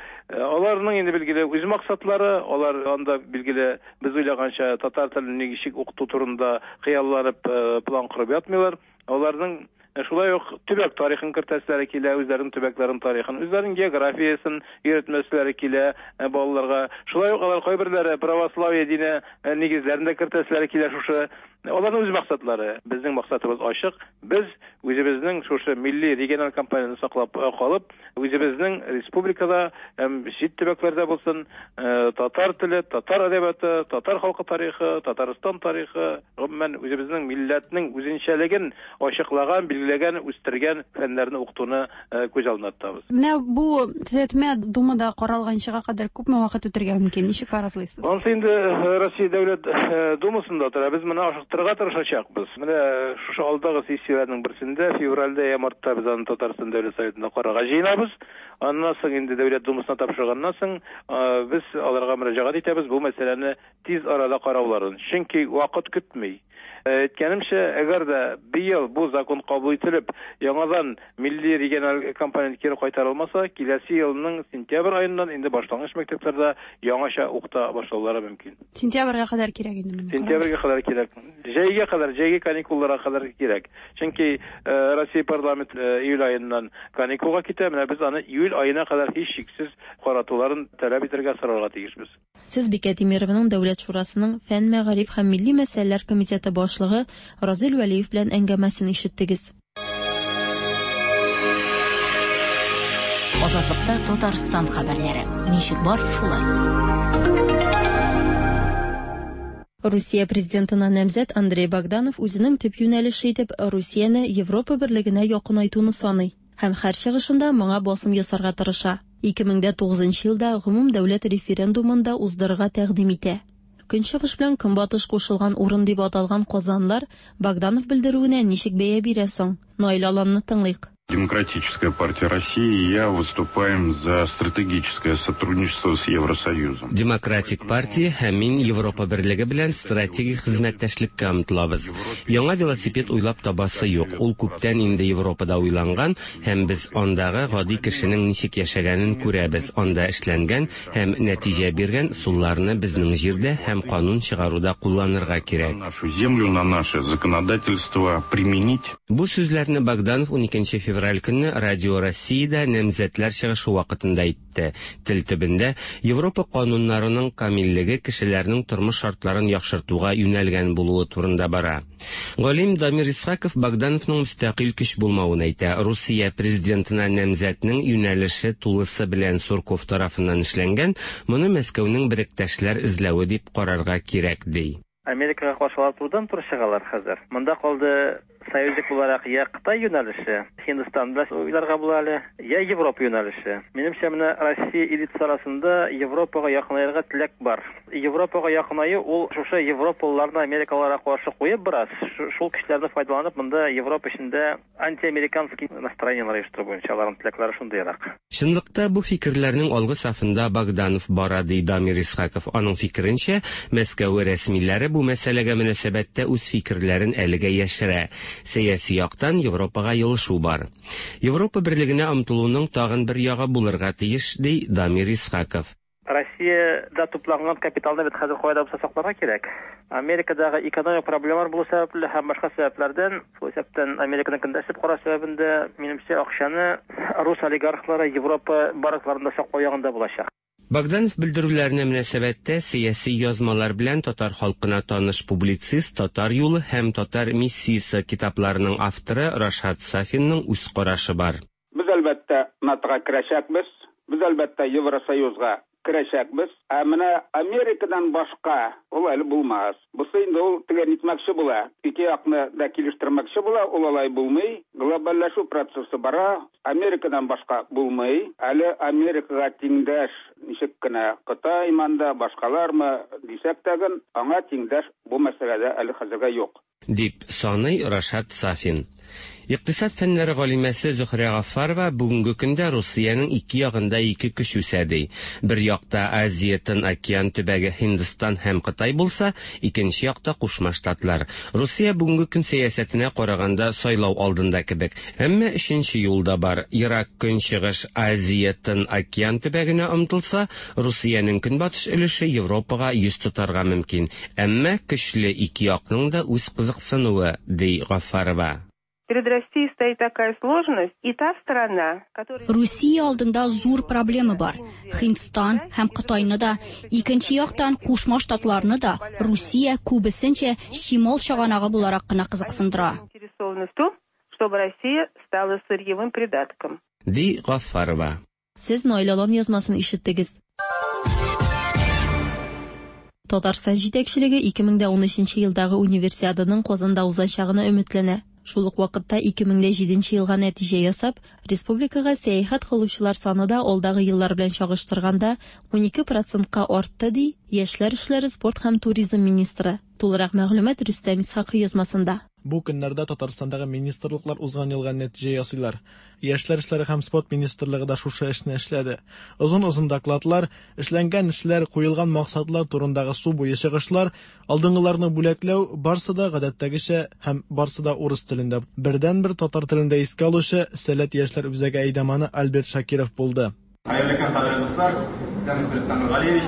Аларның инде билгеле үз максатлары, алар анда билгеле без уйлаганча татар телен ничек укыту турында хыялланып план корып ятмыйлар. Аларның шулай ук төбәк тарихын кертәселәре килә, үзләренең төбәкләренең тарихын, үзләренең географиясын өйрәтмәселәре килә балаларга. Шулай ук алар кайберләре православие дине нигезләрен дә кертәселәре килә шушы. Аларның үз максатлары. Безнең максатыбыз ачык. Без үзебезнең шушы милли региональ компанияне саклап калып, үзебезнең республикада һәм чит төбәкләрдә булсын, татар теле, татар әдәбияты, татар халкы тарихы, Татарстан тарихы, гомумән үзебезнең милләтнең үзенчәлеген ачыклаган, билгеләгән, үстергән фәннәрне укытуны күз алдына тотабыз. Менә бу төзәтмә Думада каралганчыга кадәр күпме вакыт үтәргә мөмкин? Ничек фаразлыйсыз? Ансы инде Россия Дәүләт Думасында тора. Без моны ашыктырырга тырышачакбыз. Менә шушы алдагы сессияләрнең берсендә, февральдә я мартта без аны Татарстан Дәүләт Советында карарга җыенабыз. Аннан соң инде Дәүләт Думасына тапшырганнан соң без аларга мөрәҗәгать итәбез бу мәсьәләне тиз арада карауларын. Чөнки вакыт көтми. Әйткәнемчә, әгәр дә быел бу закон кабул ителеп, яңадан милли региональ компонент кире кайтарылмаса, киләсе елның сентябрь аеннан инде башлангыч мәктәпләрдә яңача укыта башлаулары мөмкин. Сентябрьгә кадәр кирәк инде моны. Сентябрьгә кадәр кирәк. Җәйгә кадәр, җәйге каникулларга кадәр кирәк. Чөнки Россия парламент июль аеннан каникулга китә, менә без аны июль аена кадәр һичшиксез каратуларын таләп итәргә сорарга тиешбез. Сез Бикә Тимированың Дәүләт Шурасының Фән, мәгариф һәм милли мәсьәләләр комитеты башлыгы Разил Вәлиев белән әңгәмәсен ишеттегез. Азатлыкта Татарстан хәбәрләре. Ничек бар, шулай. Русия президентына намзәт Андрей Богданов үзенең төп юнәлеше итеп Русияне Европа берлегенә якынайтуны саный һәм һәр чыгышында моңа басым ясарга тырыша. ике мең дә тугызынчы елда гомум дәүләт референдумын да уздырырга тәкъдим итә. Көнчыгыш белән көнбатыш кушылган урын дип аталган Казанлар Богданов белдерүенә ничек бәя бирә соң? Наил Аланны тыңлыйк. Демократическая партия России и я выступаем за стратегическое сотрудничество с Евросоюзом. Демократик партия һәм мин Европа берлеге белән стратегик хезмәттәшлеккә омтылабыз. Яңа велосипед уйлап табасы юк. Ул күптән инде Европада уйланган һәм без андагы гади кешенең ничек яшәгәнен күрәбез. Анда эшләнгән һәм нәтиҗә биргән сулларны безнең җирдә һәм канун чыгаруда кулланырга кирәк. Нашу землю на наше законодательство применить. Бу сүзләрне Богданов уникенче февраль көнне Радио Россиядә намзәтләр чыгышы вакытында әйтте. Тел төбендә Европа кануннарының камиллеге кешеләрнең тормыш шартларын яхшыртуга юнәлгән булуы турында бара. Галим Дамир Исхаков Богдановның мөстәкыйль көч булмавын әйтә. Русия президентына намзәтнең юнәлеше тулысы белән Сурков тарафыннан эшләнгән, моны Мәскәүнең беректәшләр эзләве дип карарга кирәк, ди. Америкага каршы алар турыдан-туры чыгалар хәзер. Монда калды союзник буларак я Кытай юнәлеше, Һиндстан белән уйларга була әле, я Европа юнәлеше. Минемчә, менә Россия элитасы арасында Европага якынаерга теләк бар. Европага якынаю ул шушы европалыларны америкалыларга каршы куеп бераз, шул кешеләрне файдаланып монда Европа эчендә антиамериканский настроениелар оештыру буенча аларның теләкләре шундыйрак. Чынлыкта бу фикерләрнең алгы сафында Богданов бара, ди Дамир Исхаков. Аның фикеренчә, Мәскәү рәсмиләре бу мәсьәләгә мөнәсәбәттә үз фикерләрен әлегә яшерә. Сәяси яктан Европага елышу бар. Европа берлегенә омтылуның тагын бер ягы булырга тиеш, ди Дамир Исхаков. Россиядә тупланган капиталны бит хәзер кайда булса сакларга кирәк. Америкадагы экономик проблемалар булу сәбәпле һәм башка сәбәпләрдән, шул исәптән Американың көндәшлек карау сәбәбендә, минемчә, акчаны рус олигархлары Европа банкларында саклау ягында булачак. Богданов белдерүләренә мөнәсәбәттә сәяси язмалар белән татар халкына таныш публицист, Татар юлы һәм Татар миссиясе китапларының авторы Рашат Сафинның үз карашы бар. Без әлбәттә НАТОга керәчәкбез, без әлбәттә Евросоюзга керәчәкбез. Ә менә Америкадан башка ул әле булмас. Бусы инде ул теге нитмәкче була, ике якны да килештермәкче була, ул алай булмый. Глобальләшү процессы бара, Америкадан башка булмый. Әле Америкага тиңдәш ничек кенә Кытай манда, башкалармы дисәк тәген, аңа тиңдәш бу мәсьәләдә әле хәзергә юк, дип саный Рашат Сафин. Икътисад фәннәре галимәсе Зөһрә Гаффарова бүгенге көндә Русиянең ике ягында ике көч үсә ди. Бер якта Азия Тын океан төбәге Һиндстан һәм Кытай булса, икенче якта Кушма Штатлар. Русия бүгенге көн сәясәтенә караганда сайлау алдында кебек. Әмма өченче юл да бар. Ерак Көнчыгыш Азия Тын океан төбәгенә омтылса, Русиянең көнбатыш өлеше Европага йөз тотарга мөмкин. Әмма көчле ике якның да үз кызыксынуы, ди Гаффарова. Перед Россией стоит такая сложность, и та сторона, которая... Русия алдында зур проблема бар. Һиндстан һәм Кытайны да, икенче яктан Кушма Штатларны да Русия күбесенчә чимал чыганагы буларак кына кызыксындыра. Заинтересованы в том, чтобы Россия стала сырьевым придатком. Ди Гаффарова. Сез Наил Алан язмасын ишеттегез. Татарстан җитәкчелеге ике мең дә унөченче елдагы универсиаданың Казанда узачагына өметләнә. Шул ук вакытта ике мең дә җиденче елга нәтиҗә ясап, республикага сәяхәт кылучылар саны да алдагы еллар белән чагыштырганда унике процентка артты, ди Яшьләр эшләре, спорт һәм туризм министры. Тулырак мәгълүмат Рөстәм Исхакый язмасында. Бу көннәрдә Татарстандагы министрлыклар узган елга нәтиҗә ясыйлар. Яшьләр эшләре һәм спорт министрлыгы да шушы эшне эшләде. Озын-озын докладлар, эшләнгән эшләр, куелган максатлар турындагы су буе чыгышлар, алдынгыларны бүләкләү барсы да гадәттәгечә һәм барсы да урыс телендә. Бердән-бер татар телендә искә алучы Сәләт яшьләр үзәге әйдаманы Альберт Шакиров булды. Хәерле көн, кадерле дуслар. Исәнмесез, Рөстәм Нургалиевич.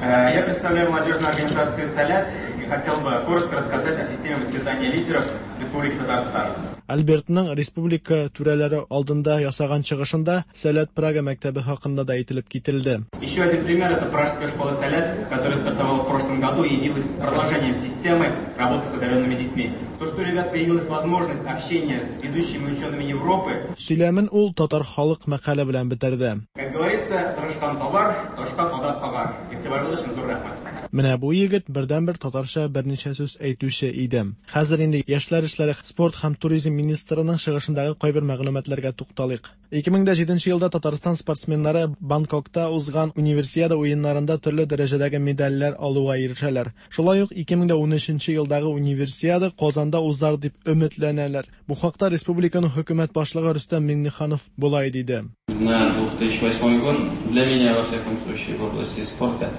Я представляю молодежную организацию «Сәләт» и хотел бы коротко рассказать о системе воспитания лидеров Республики Татарстан. Альбертның республика түрәләре алдында ясаган чыгышында Сәләт Прага мәктәбе хакында да әйтелеп кителде. Еще один пример это Пражская школа Сәләт, которая стартовала в прошлом году и явилась продолжением системы работы с одаренными детьми. То, что у ребят появилась возможность общения с ведущими учеными Европы. Сөйләмен ул татар халык мәкале белән бетерде. Как говорится, тырышкан табар, ташка кадак кагар. Игътибарыгыз өчен зур рәхмәт. Менә бу егет бердән-бер татарча берничә сүз әйтүче иде. Хәзер инде Яшьләр эшләре, спорт һәм туризм министрының чыгышындагы кайбер мәгълүматларга тукталыйк. ике мең дә җиденче елда Татарстан спортсменнары Бангкокта узган универсиада уеннарында төрле дәрәҗәдәге медальләр алуга ирешәләр. Шулай ук ике мең дә унөченче елдагы универсиада Казанда узар дип өметләнәләр. Бу хакта республиканың хөкүмәт башлыгы Рөстәм Миңнеханов болай диде. На две тысячи восьмой год для меня во всяком случае в области спорта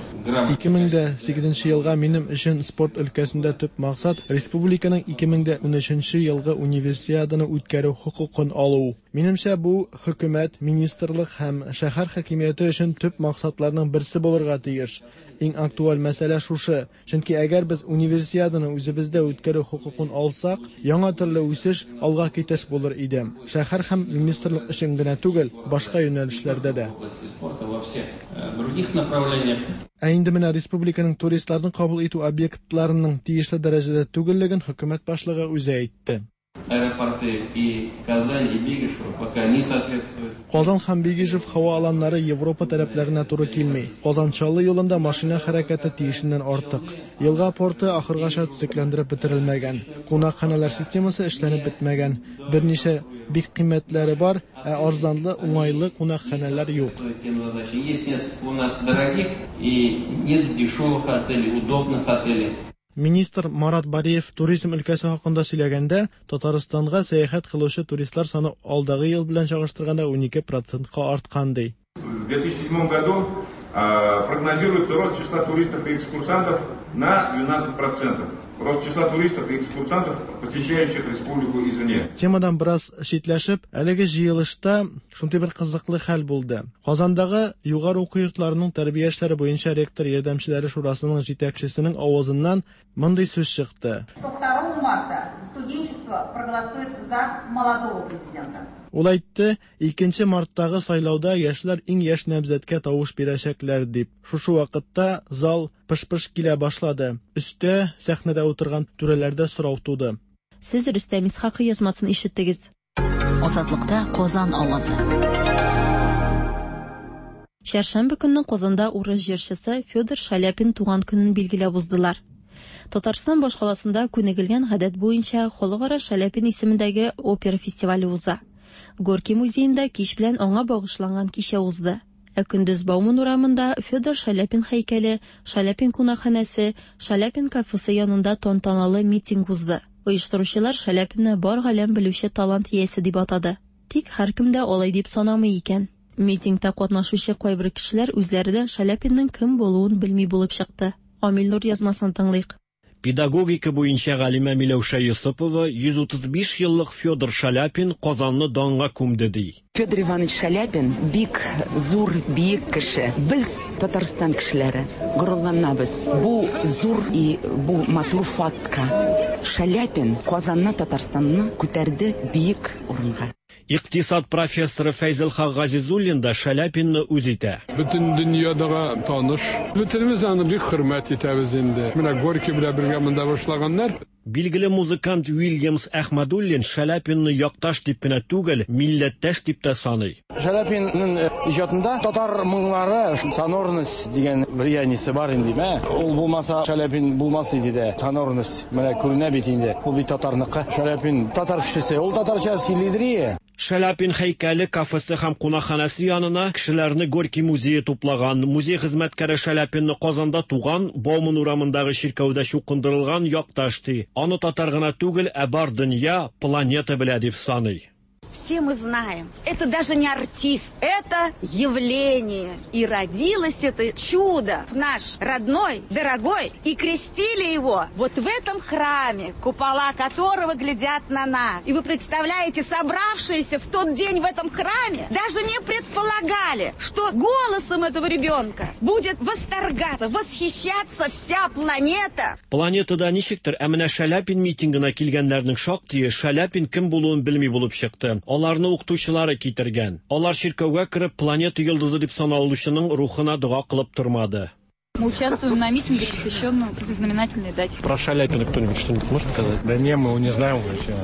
ике мең дә сигезенче елга минем өчен спорт өлкәсендә төп максат республиканың ике мең дә унөченче елгы универсиаданы үткәрү хокукын алу. Минемчә, бу хөкүмәт, министрлык һәм шәһәр хакимияте өчен төп максатларның берсе булырга тиеш. Иң актуаль мәсьәлә шушы. Чөнки әгәр без универсиаданы үзебездә үткәрү хокукын алсак, яңа төрле үсеш, алга китеш булыр иде. Шәһәр һәм министрлык өчен генә түгел, башка юнәлешләрдә дә. Ә инде менә республиканың туристларны кабул итү объектларының тиешле дәрәҗәдә түгеллеген хөкүмәт башлыгы үзе әйтте. Аэропорты и Казань, и Бегишево пока не соответствуют. Казан һәм Бегишев һава аланнары Европа таләпләренә туры килми. Казан Чаллы юлында машина хәрәкәте тиешеннән артык. Елга порты ахыргача төзекләндереп бетерелмәгән. Кунакханәләр системасы эшләнеп бетмәгән. Берничә бик кыйммәтләре бар, ә арзанлы, уңайлы кунакханәләр юк. Есть несколько у нас дорогих и нет дешевых отелей, удобных отелей. Министр Марат Бариев туризм өлкәсе хакында сөйләгәндә, Татарстанга сәяхәт кылучы туристлар саны алдагы ел белән чагыштырганда унике процентка арткан ди. В две тысячи седьмом году прогнозируется рост числа туристов и экскурсантов на двенадцать процентов. Рост числа туристов и экскурсантов, посещающих республику извне. Темадан бераз читләшеп, әлеге җыелышта шундый бер кызыклы хәл булды. Казандагы югары уку йортларының тәрбия эшләре буенча ректор ярдәмчеләре шурасының җитәкчесенең авызыннан мондый сүз чыкты. второго марта студенчество проголосует за молодого президента. Ул әйтте, икенче марттагы сайлауда яшьләр иң яшь намзәткә тавыш бирәчәкләр дип. Шушы вакытта зал пыш-пыш килә башлады. Өстә сәхнәдә утырган түрәләрдә сорау туды. Сез Рөстәм Исхакый язмасын ишеттегез. Азатлыкта Казан авазы. Чәршәмбе көнне Казанда урыс җырчысы Федор Шаляпин туган көнен билгеләп уздылар. Татарстан башкаласында күнегелгән гадәт буенча Халыкара Шаляпин исемендәге опера фестивале уза. Горький музеенда кич белән аңа багышланган кичә узды. Ә көндез Бауман урамында Федор Шаляпин һәйкәле, Шаляпин кунакханәсе, Шаляпин кафесы янында тантаналы митинг узды. Оештыручылар Шаляпинны бар галәм белүче талант иясе дип атады. Тик һәркем дә алай дип санамый икән. Митингта катнашучы кайбер кешеләр үзләре дә Шаляпинның кем булуын белми булып чыкты. Амил Нур язмасын тыңлыйк. Педагогика буенча галимә Миләүшә Йосыпова йөз утыз биш еллык Федор Шаляпин Казанны данга күмде ди. Федор Иванович Шаляпин бик зур, биек кеше. Без Татарстан кешеләре горурланабыз. Бу зур и бу матур фактка. Шаляпин Казанны, Татарстанны күтәрде биек урынга. Икътисад профессоры Фәйзелхак Газизуллин да Шаляпинны үз итә. Бөтен дөньядага таныш. Бөтенебез аны бик хөрмәт итәбез инде. Менә Горький белән бергә монда башлаганнар. Билгеле музыкант Уильямс Әхмәдуллин Шаляпинны якташ дип кенә түгел, милләттәш дип тә саный. Шаляпинның иҗатында татар моңнары, сонорность дигән влияние бар инде, мә. Ул булмаса Шаляпин булмас иде дә. Сонорность менә күренә бит инде. Ул бит татарныкы. Шаляпин татар кешесе, ул татарча сөйлидер. Шаляпин һәйкәле, кафесы һәм кунакханәсе янына кешеләрне Горький музее туплаган. Музей хезмәткәре Шаляпинны Казанда туган, Бауман урамындагы чиркәүдә чукындырылган якташ ди. Аны татар гына түгел, ә бар дөнья, планета белә дип саный. Все мы знаем, это даже не артист, это явление. И родилось это чудо, наш родной, дорогой, и крестили его вот в этом храме, купола которого глядят на нас. И вы представляете, собравшиеся в тот день в этом храме даже не предполагали, что голосом этого ребенка будет восторгаться, восхищаться вся планета. Планетада ничектер, ә менә Шаляпин митингына килгәннәрнең шактые Шаляпин кем булуын белми булып чыкты. Аларны укытучылары китергән. Алар чиркәүгә кереп планета йолдызы дип саналучының рухына дога кылып тормады. Мы участвуем на митинге, посвященном этой знаменательной дате. Про Шаляпина кто-нибудь что-нибудь может сказать? Да не, мы его не знаем вообще.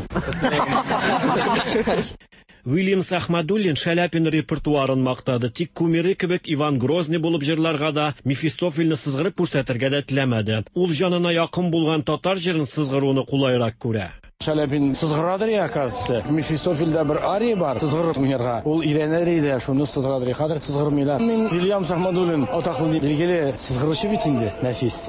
Уильямс Ахмадуллин Шаляпин репертуарын мактады. Тик кумиры кебек Иван Грозный булып җырларга да, Мефистофельне сызгырып күрсәтергә дә теләмәде. Ул җанына якын булган татар җырын сызгыруны кулайрак күрә. Шаляпин сызгырадыр я, оказывается. Мефистофельдә бер ария бар, сызгырып уйнарга. Ул өйрәнер иде, шуны сызгырадыр. Хәзер сызгырмыйлар. Мин Вильямс Ахмадуллин атаклы билгеле сызгыручы бит инде, нәфис.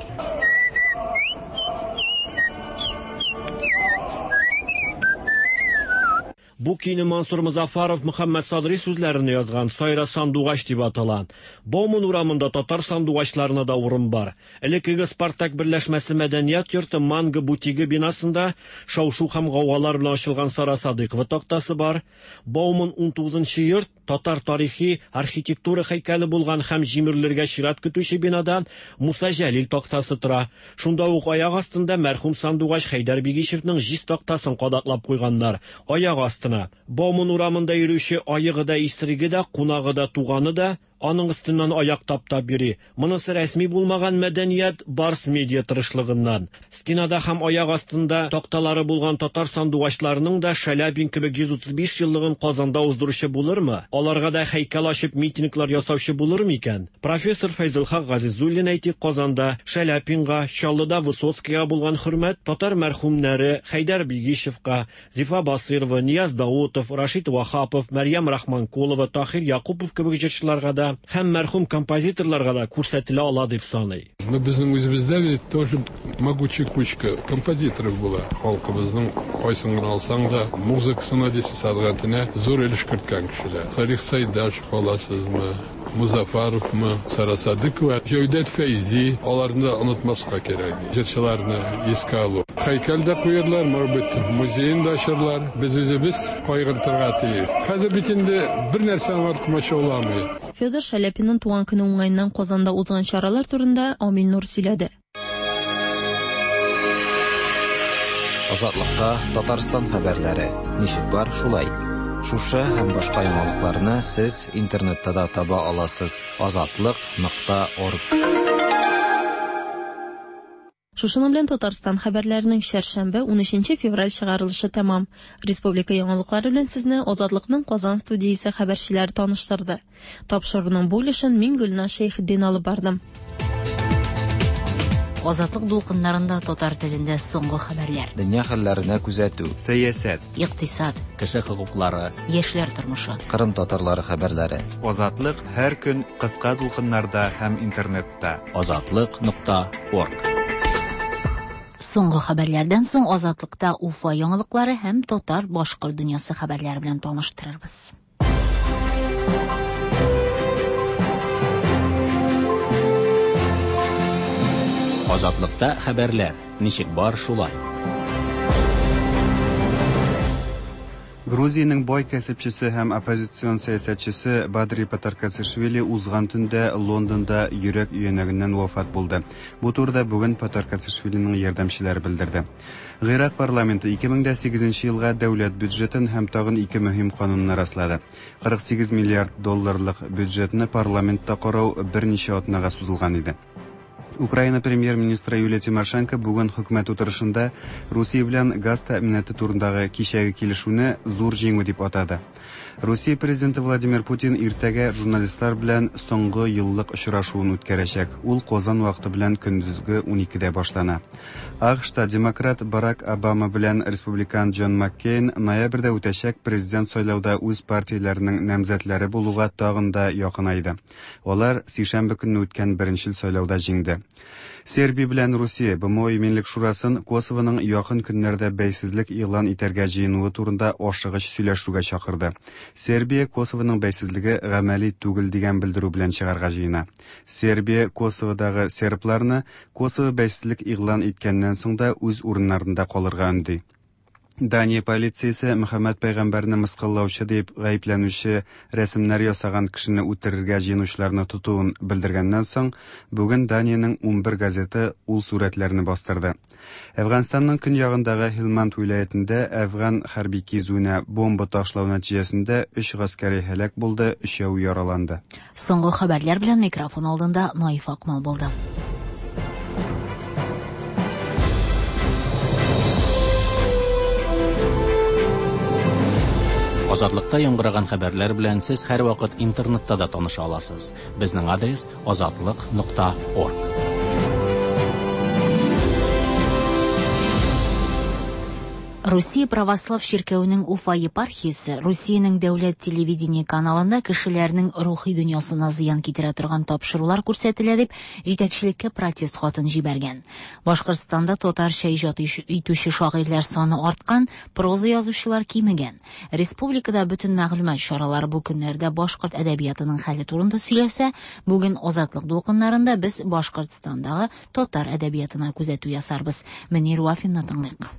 Бу көйне Мансур Музафаров Мөхәммәд Садри сүзләрен язган Сайра сандугач дип атала. Бауман урамында татар сандугачларына да урын бар. Элеккеге Спартак берләшмәсе мәдәният йорты Манго бутигы бинасында шау-шу һәм гаугалар белән ачылган Сара Садыйкова тактасы бар. Бауман унтугызынчы йорт татар тарихи архитектура һәйкәле булган һәм җимерелергә чират көтүче бинада Муса Җәлил тактасы тора. Шунда ук аяк астында мәрхүм сандугач Хәйдәр Бигишевның җиз тактасын кадаклап куйганнар. Аяк астына. Бауман урамында йөрүче аегы да, исереге дә, кунагы да, туганы да аның өстеннән аяк таптап йөри. Монысы рәсми булмаган мәдәният Барс медиа тырышлыгыннан. Стенада һәм аяк астында такталары булган татар сандугачларының да Шаляпин кебек йөз утыз биш еллыгын Казанда уздыручы булырмы? Аларга да һәйкәл ачып митинглар ясаучы булырмы икән? Профессор Фәйзелхак Газизуллин әйтик, Казанда Шаляпинга, Чаллыда Высоцкийга булган хөрмәт татар мәрхүмнәре Хәйдәр Бигишевка, Зифа Басырова, Нияз Даутов, Рашид Вахапов, Мәрьям Рахманкулова, Тахир Якупов кебек җырчыларга да һәм мәрхүм композиторларга да күрсәтелә ала дип саный. Но безнең үзебездә бит тоже могучая кучка композиторов була. Халкыбызның кайсын гына алсаң да, музыкасына дисез, сәнгатенә зур өлеш керткән кешеләр. Салих Сайдашев аласызмы, Музафаровмы, Сара Садыкова, Җәүдәт Фәйзи, аларны да онытмаска кирәк. Җырчыларны искә алу. Һәйкәл дә куярлар, может быть, музеен да ачарлар. Без үзебез кайгыртырга тиеш. Хәзер бит инде бер нәрсә аңар комачауламый. Федор Шаляпинның туган көне уңаеннан Казанда узган чаралар турында Амил Нур сөйләде. Азатлыкта Татарстан хәбәрләре. Ничек бар, шулай. Шушы һәм башка яңалыкларны сез интернетта да таба аласыз. Азатлык нокта орг. Шушының белән Татарстан хәбәрләренең шәршәмбе унөченче февраль чыгарылышы тәмам. Республика яңалыклары белән сезне Азатлыкның Казан студиясе хәбәрчеләре таныштырды. Тапшыруның бу өлешен мин Гөлназ Шәйхетдин алып бардым. Азатлык дулкыннарында татар телендә соңгы хәбәрләр. Дөнья хәлләренә күзәтү, сәясәт, икътисад, кеше хокуклары, яшьләр тормышы, Кырым татарлары хәбәрләре. Азатлык һәр көн кыска дулкыннарда һәм интернетта. Азатлык нокта орг. Соңгы хәбәрләрдән соң Азатлыкта Уфа яңалыклары һәм татар башкорт дөньясы хәбәрләре белән таныштырырбыз. Азатлыкта хәбәрләр ничек бар шулай. Грузиянең бай кәсепчесе һәм оппозицион сәясәтчесе Бадри Патаркацишвили узган төндә Лондонда йөрәк өянәгеннән вафат булды. Бу турыда бүген Патаркацишвилиның ярдәмчеләре белдерде. Гыйрак парламенты ике мең дә сигезенче елга дәүләт бюджетын һәм тагын ике мөһим канунны раслады. Кырык сигез миллиард долларлык бюджетны парламентта карау берничә атнага сузылган иде. Украина премьер-министры Юлия Тимошенко бүген хөкүмәт утырышында Русия белән газ тәэминаты турындагы кичәге килешүне зур җиңү дип атады. Русия президенты Владимир Путин иртәгә журналистлар белән соңгы еллык очрашуын үткәрәчәк. Ул Казан вакыты белән көндезге уникедә башлана. АКШта демократ Барак Обама белән республикан Джон Маккейн ноябрьдә үтәчәк президент сайлауда үз партияләренең намзәтләре булуга тагын да якынайды. Алар сишәмбе көнне үткән беренчел сайлауда җиңде. Сербия белән Русия БМО Иминлек Шурасын Косовоның якын көннәрдә бәйсезлек игълан итәргә җыенуы турында ашыгыч сөйләшүгә чакырды. Сербия Косовоның бәйсезлеге гамәли түгел дигән белдерү белән чыгарга җыена. Сербия Косоводагы сербларны Косово бәйсезлек игълан иткәннән соң да үз урыннарында калырга өнди. Дания полициясе Мөхәммәд пәйгамбәрне мыскыллаучы дип гаепләнүче рәсемнәр ясаган кешене үтерергә җыенучыларны тотуын белдергәннән соң, бүген Даниянең унбер газеты ул сурәтләрне бастырды. Әфганстанның көньягындагы Һилманд вилаятендә әфган хәрби кизүенә бомба ташлау нәтиҗәсендә өч гаскәри һәлак булды, өчәү яраланды. Соңгы хәбәрләр белән микрофон алдында Наиф Акмал булды. Азатлыкта яңгыраган хәбәрләр белән сез һәрвакыт интернетта да таныша аласыз. Безнең адрес азатлык нокта орг. Русия православ чиркәвенең Уфа епархиясе Русиянең дәүләт телевидение каналында кешеләрнең рухи дөньясына зыян китерә торган тапшырулар күрсәтелә дип җитәкчелеккә протест хатын җибәргән. Башкортстанда татарча иҗат итүче шагыйрьләр саны арткан, проза язучылар кимегән. Республикада бөтен мәгълүмат чаралары бу көннәрдә башкорт әдәбиятының хәле турында сөйләсә, бүген Азатлык дулкыннарында без Башкортстандагы татар әдәбиятына күзәтү ясарбыз. Мөнир Вафинны тыңлыйк.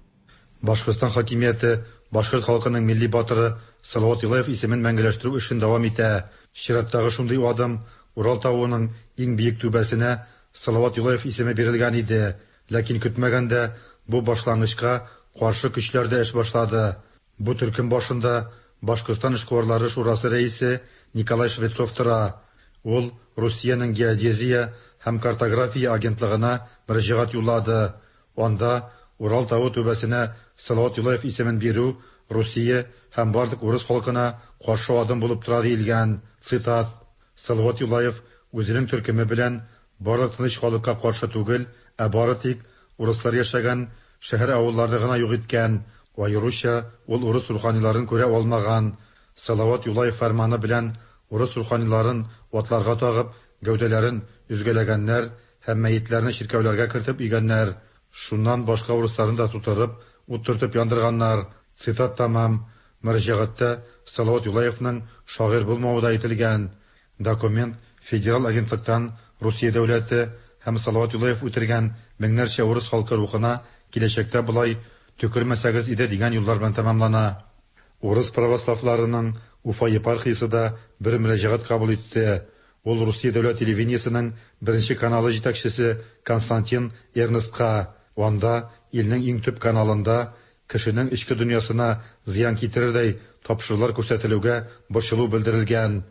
Башкортстан хакимияте башкорт халкының милли батыры Салават Юлаев исемен мәңгеләштерү эшен дәвам итә. Чираттагы шундый адым Урал тавының иң биек түбәсенә Салават Юлаев исеме бирелгән иде. Ләкин көтмәгәндә бу башлангычка каршы көчләр дә эш башлады. Бу төркем башында Башкортстан эшкуарлары шурасы рәисе Николай Швецов тора. Ул Русиянең геодезия һәм картография агентлыгына мөрәҗәгать юллады. Анда Урал тавы түбәсенә Салават Юлаев исемен бирү Русия һәм барлык урыс халкына каршы адым булып тора диелгән. Цитат: Салават Юлаев үзенең төркеме белән барлык тыныч халыкка каршы түгел, ә бары тик урыслар яшәгән шәһәр авылларны гына юк иткән. Аеруча ул урыс руханиларын күрә алмаган. Салават Юлаев фәрманы белән урыс руханиларын атларга тагып, гәүдәләрен өзгәләгәннәр һәм мәетләрне чиркәүләргә кертеп өйгәннәр. Шуннан башка урысларын да тутырып, уттыртып яндырганнар. Цитат тамам. Мөрәҗәгатьтә Салават Юлаевның шагыйрь булмавы да әйтелгән. Документ федераль агентлыктан Русия дәүләте һәм Салават Юлаев үтергән меңнәрчә урыс халкы рухына киләчәктә болай төкермәсәгез иде дигән юллар белән тәмамлана. Урыс православларының Уфа епархиясе дә бер мөрәҗәгать кабул итте. Ул Русия дәүләт телевидениесенең беренче каналы җитәкчесе Константин Эрнстка. Анда илнең иң төп каналында кешенең эчке дөньясына зыян китерердәй тапшырулар күрсәтелүгә борчылу белдерелгән.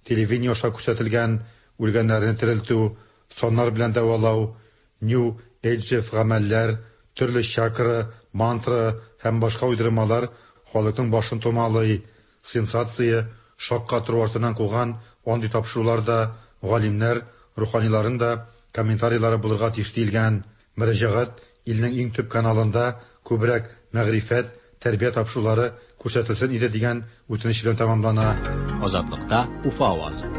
Телевидение аша күрсәтелгән үлгәннәрне терелтү, саннар белән дәвалау, New Age гамәлләр, төрле чакра, мантра һәм башка уйдырмалар халыкның башын томалый. Сенсация, шаккатыру артыннан куган андый тапшыруларда галимнәр, руханиларның да комментарийлары булырга тиеш диелгән. Мөрәҗәгать илнең иң төп каналында күбрәк мәгърифәт, тәрбия тапшырулары күрсәтелсен иде дигән үтенеч белән тәмамлана. Азатлыкта Уфа авазы.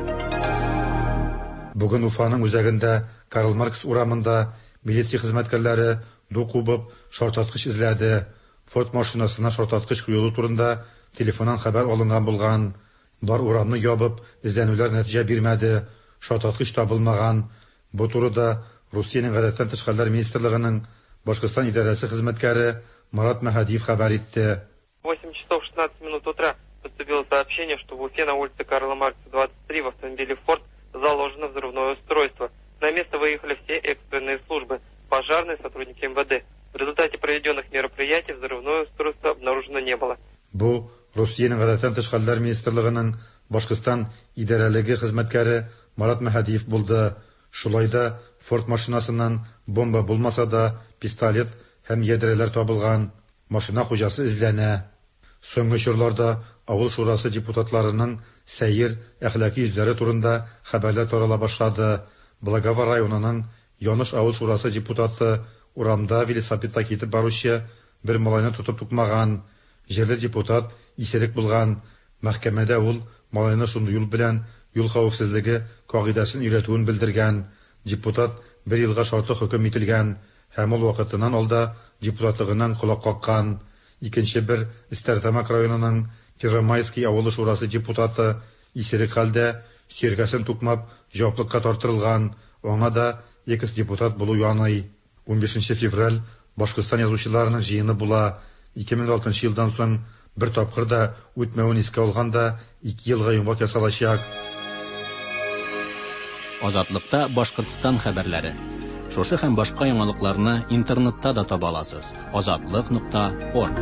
Бүген Уфаның үзәгендә Карл Маркс урамында милиция хезмәткәрләре ду кубып шартлаткыч эзләде. Форд машинасына шартлаткыч куелу турында телефоннан хәбәр алынган булган. Бар урамны ябып, эзләнүләр нәтиҗә бирмәде. Шартлаткыч табылмаган. Бу турыда Русиянең гадәттән тыш хәлләр министрлыгының Башкортстан идарәсе хезмәткәре Марат Мәһәдиев хәбәр итте. восемь часов шестнадцать минут утра поступило сообщение, что в Уфе на улице Карла Маркса двадцать три в автомобиле Форд заложено взрывное устройство. На место выехали все экстренные службы, пожарные, сотрудники эм вэ дэ. В результате проведенных мероприятий взрывное устройство обнаружено не было. Бу Русиянең гадәттән тыш хәлләр министрлыгының Башкортстан идарәлеге хезмәткәре Марат Мәһәдиев булды. Шулай да Форд машинасыннан бомба булмаса да, пистолет һәм ядрәләр табылган. Машина хуҗасы эзләнә. Соңгы чорларда авыл шурасы депутатларының сәер әхлаки йөзләре турында хәбәрләр тарала башлады. Благова районының Яныш авыл шурасы депутаты урамда велосипедта китеп баручы бер малайны тотып тукмаган. Җирле депутат исерек булган. Мәхкәмәдә ул малайны шундый юл белән юл хәвефсезлеге кагыйдәсен өйрәтүен белдергән. Депутат бер елга шартлы хөкем ителгән һәм ул вакытыннан алда депутатлыгыннан колак каккан. Икенче бер Стерлитамак районының Первомайский авылы шурасы депутаты исерек хәлдә сөяркәсен тукмап җаваплылыкка тартылган. Аңа да экс-депутат булу яный. унбишенче февраль Башкортстан язучыларының җыены була. ике мең алтынчы елдан соң бер тапкыр да үтмәвен искә алганда ике елга йомгак ясалачак. Азатлыкта Башкортстан хәбәрләре. Шушы һәм башка яңалыкларны интернетта да таба аласыз. Азатлык нокта орг.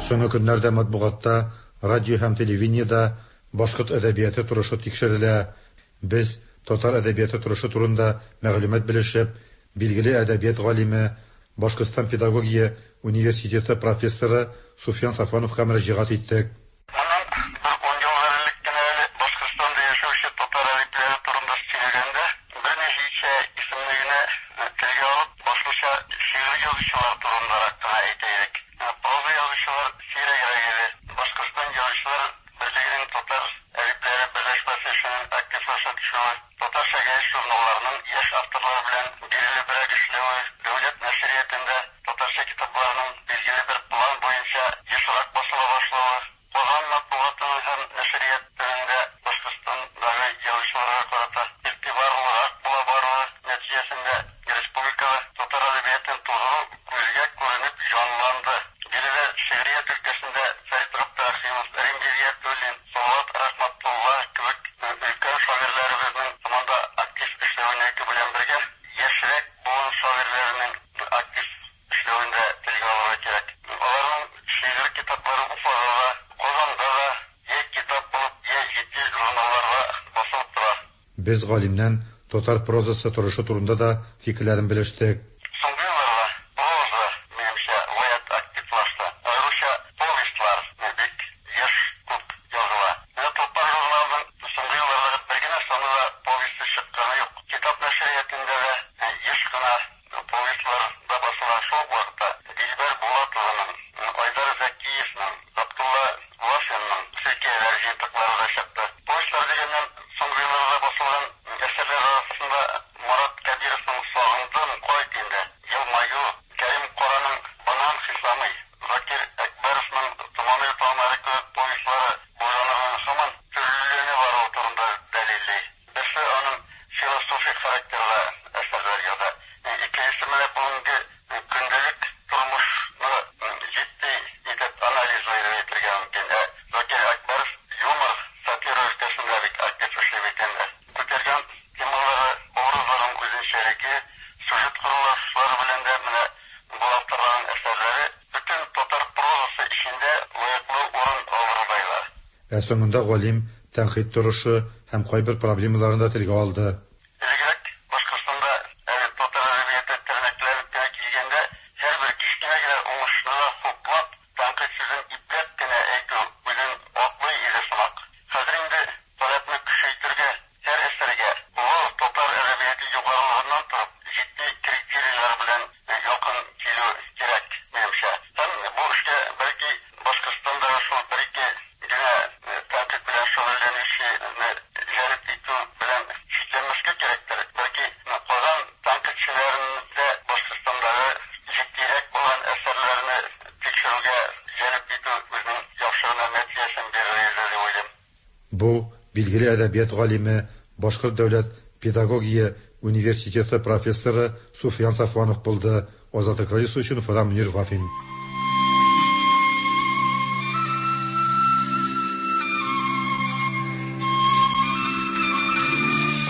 Соңгы көннәрдә матбугатта, радио һәм телевидениедә башкорт әдәбияты торышы тикшерелә. Без татар әдәбияты торышы турында мәгълүмат белешеп, билгеле әдәбият галиме, Башкортстан педагогия университеты профессоры Суфиян Сафвановка мөрәҗәгать иттек. Китап булып, я җитди журналларда басылып Без галимнән татар прозасы торышы турында да фикерләрен белештек. Соңгы елларда проза, минемчә, гаять активлашты. Аеруча повестьлар бик еш күп языла. Менә Тулпар журналының соңгы еллардагы бер генә саны да повесте чыкканы юк. Китап нәшриятында да еш кына повестьлар да басыла. Шул ук вакытта Дилбәр Булатованың, Айдар Зәкиевның, Габдулла Вафинның хикәяләр җыентыклары да чыкты. Повестьлар дигәннән, соңгы елларда басылган әсәрләр арасында Марат Кәбировның «Сагындым, кайт инде», «Елмаю», Кәрим Караның «Банан Хисамый», Закир Әкбәровның «Томаный таңнары» кебек повестьлары бу жанрның һаман төрлеләнә баруы турында дәлилли. Берсе аның философик характерлы әсәрләр яза. Икенчесе менә бүгенге көндәлек тормышны җитди итеп анализлый дип әйтергә мөмкин. Ә Закир Әкбәров юмор, сатира өлкәсендә бик актив эшли бит инде. Күтәргән темалары, образларының үзенчәлеге, сюжет корылышлары белән дә менә бу авторларның әсәрләре бөтен татар прозасы эчендә лаеклы урын алырдайлар. Ә соңында галим тәнкыйть торышы һәм кайбер проблемаларын да телгә алды. Элегрәк Башкортстанда әле татар әдәбияты тернәкләнеп кенә килгәндә һәрбер кечкенә генә уңышны да хуплап, тәнкыйть сүзен ипләп кенә әйтү үзен аклый иде сымак. Хәзер инде таләпне көчәйтергә, һәр әсәргә олы татар әдәбияты югарылыгыннан торып җитди критерийлар белән якын килү кирәк, минемчә. Һәм бу эшкә бәлки Башкортстандагы шул бер-ике генә тәнкыйть белән шөгыльләнүчене җәлеп итү белән чикләнмәскә кирәктер. Бәлки Казан тәнкыйтьчеләрен дә Башкортстандагы җитдирәк булган әсәрләрне тикшерүгә җәлеп итү үзенең яхшы гына нәтиҗәсен бирер иде дип уйлыйм. Бу билгеле әдәбият галиме, Башкорт дәүләт педагогия университеты профессоры Суфиян Сафуанов булды. Азатлык радиосы өчен Уфадан Мөнир Вафин.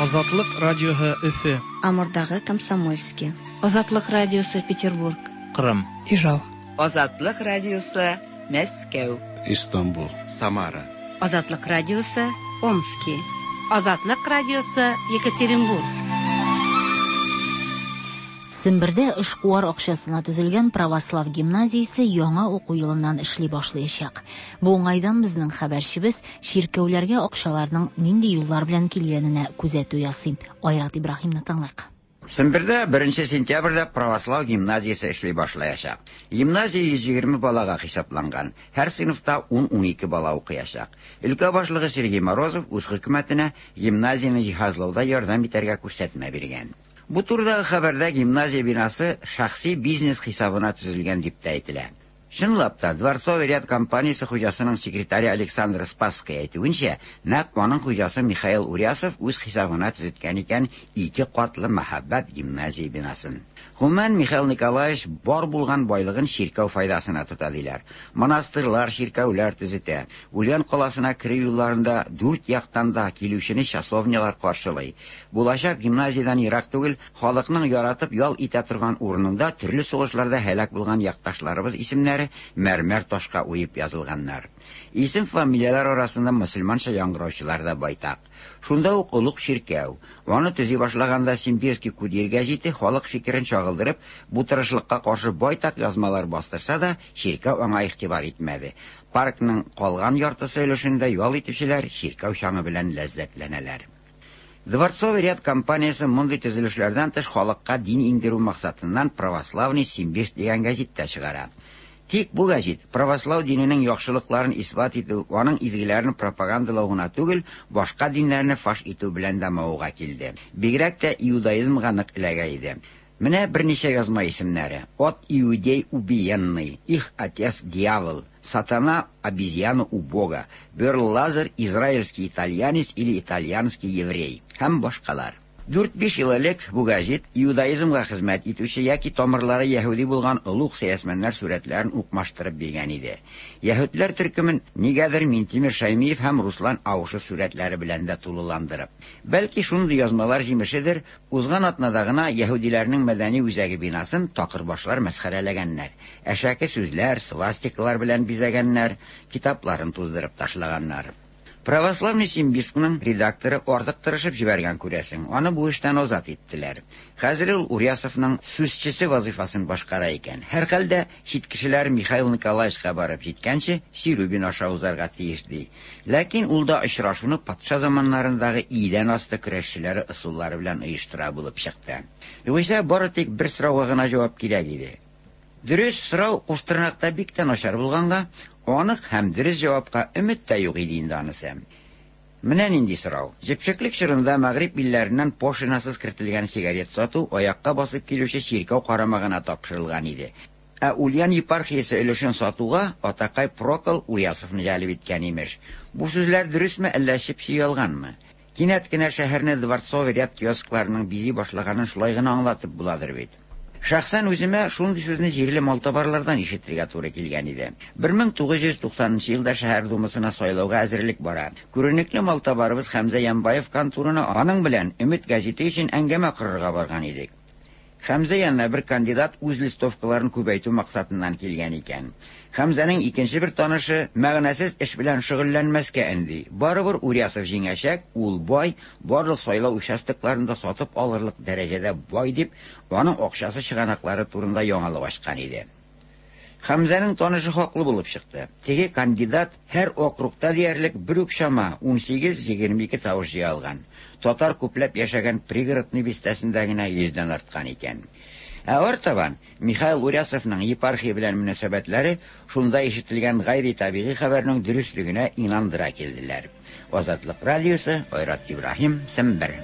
Азатлык радиоһы Өфе. Амурдагы Комсомольский. Азатлык радиосы Петербург. Кырым. Ижау. Азатлык радиосы Мәскәү. Истанбул. Самара. Азатлык радиосы Омски. Азатлык радиосы Екатеринбург. Сембердә эшкуар акчасына төзелгән православ гимназиясе яңа уку елыннан эшли башлаячак. Бу уңайдан безнең хәбәрчебез чиркәүләргә акчаларның нинди юллар белән килгәненә күзәтү ясый. Айрат Ибраһимны тыңлыйк. Сембердә беренче сентябрьдә православ гимназиясе эшли башлаячак. Гимназия йөз егерме балага хисапланган. Һәр сыйныфта ун-унике бала укыячак. Өлкә башлыгы Сергей Морозов үз хөкүмәтенә гимназияне җиһазлауда ярдәм итәргә күрсәтмә биргән. Бу турыдагы хәбәрдә гимназия бинасы шәхси бизнес хисабына төзелгән дип тә әйтелә. Чынлап та, Дворцовый ряд компаниясе хуҗасының секретаре Александр Спасский әйтүенчә, нәкъ аның хуҗасы Михаил Урясов үз хисабына төзеткән икән ике катлы мәһабәт гимназия бинасын. Гомумән, Михаил Николаевич бар булган байлыгын чиркәү файдасына тота диләр. Монастырьлар, чиркәүләр төзетә. Ульян каласына керү юлларында дүрт яктан да килүчене часовнялар каршылый. Булачак гимназиядән ерак түгел, халыкның яратып ял итә торган урынында төрле сугышларда һәлак булган якташларыбыз исемнәре мәрмәр ташка уеп язылганнар. Исем фамилияләр арасында мөселманча яңгыраучылар да байтак. Шунда ук олуг чиркәү. Аны төзи башлаганда Симбирский курьер гәзите халык фикерен чагылдырып, бу тырышлыкка каршы байтак язмалар бастырса да, чиркәү аңа игътибар итмәде. Паркның калган яртысы өлешендә ял итүчеләр чиркәү чаңы белән ләззәтләнәләр. Дворцовый ряд компаниясе мондый төзелешләрдән тыш халыкка дин иңдерү максатыннан Православный Симбирск дигән гәзит тә чыгара. Тик бу гәзит православ диненең яхшылыкларын исбат итү, аның изгеләрен пропагандалау гына түгел, башка диннәрне фаш итү белән дә мавыга килде. Бигрәк тә иудаизмга нык эләгә иде. Менә берничә язма исемнәре: От иудей убиенный, их отец дьявол, Сатана обезьяна у Бога, Берл Лазар израильский итальянец или итальянский еврей һәм башкалар. Дүрт-биш ел элек бу гәзит иудаизмга хезмәт итүче яки тамырлары яһүди булган олуг сәясмәннәр сурәтләрен укмаштырып биргән иде. Яһүдләр төркемен нигәдер Минтимер Шаймиев һәм Руслан Аушев сурәтләре белән дә тулыландырып. Бәлки шундый язмалар җимешедер, узган атнада гына яһүдиләрнең мәдәни үзәге бинасын такырбашлар мәсхәрәләгәннәр. Әшәке сүзләр, свастикалар белән бизәгәннәр, китапларын туздырып ташлаганнар. Православный Симбирскның редакторы артык тырышып җибәргән күрәсең. Аны бу эштән азат иттеләр. Хәзер ул Урясовның сүзчесе вазифасын башкара икән. Һәрхәлдә чит кешеләр Михаил Николаевичка барып җиткәнче Сирубин аша узарга тиеш ди. Ләкин ул да очрашуны патша заманнарындагы идән асты көрәшчеләре ысуллары белән оештыра булып чыкты. Югыйсә бары тик бер сорауга гына җавап кирәк иде. Дөрес сорау куштырнакта бик тә начар булганга, анык һәм дөрес җавапка өмет тә юк иде инде анысы. Менә нинди сорау. Җепшеклек чорында Мәгъриб илләреннән пошлинасыз кертелгән сигарет сату аякка басып килүче чиркәү карамагына тапшырылган иде. Ә Ульян епархиясе өлешен сатуга атакай Прокол Урясовны җәлеп иткән имеш. Бу сүзләр дөресме, әллә чеп-чи ялганмы? Кинәт кенә шәһәрне дворцовый ряд киоскларының бизи башлаганын шулай гына аңлатып буладыр бит. Шәхсән үземә шундый сүзне җирле малтабарлардан ишетергә туры килгән иде. бер мең тугыз йөз туксанынчы елда шәһәр думасына сайлауга әзерлек бара. Күренекле малтабарыбыз Хәмзә Янбаев конторына аның белән Өмет гәзите өчен әңгәмә корырга барган идек. Хәмзә янына бер кандидат үз листовкаларын күбәйтү максатыннан килгән икән. Хәмзәнең икенче бер танышы мәгънәсез эш белән шөгыльләнмәскә өнди. Барыбер Урясов җиңәчәк, ул бай, барлык сайлау участокларында сатып алырлык дәрәҗәдә бай дип, аның акчасы чыганаклары турында яңалык ачкан иде. Хәмзәнең танышы хаклы булып чыкты. Теге кандидат һәр округта диярлек бер үк чама ун сигез егерме ике тавыш җыя алган. Татар күпләп яшәгән пригородный бистәсендә генә йөздән арткан икән. Ә артабан Михаил Урясовның епархия белән мөнәсәбәтләре шунда ишетелгән гайри табигый хәбәрнең дөреслегенә инандыра килделәр. Азатлык радиосы, Айрат Ибраһим, Сембер.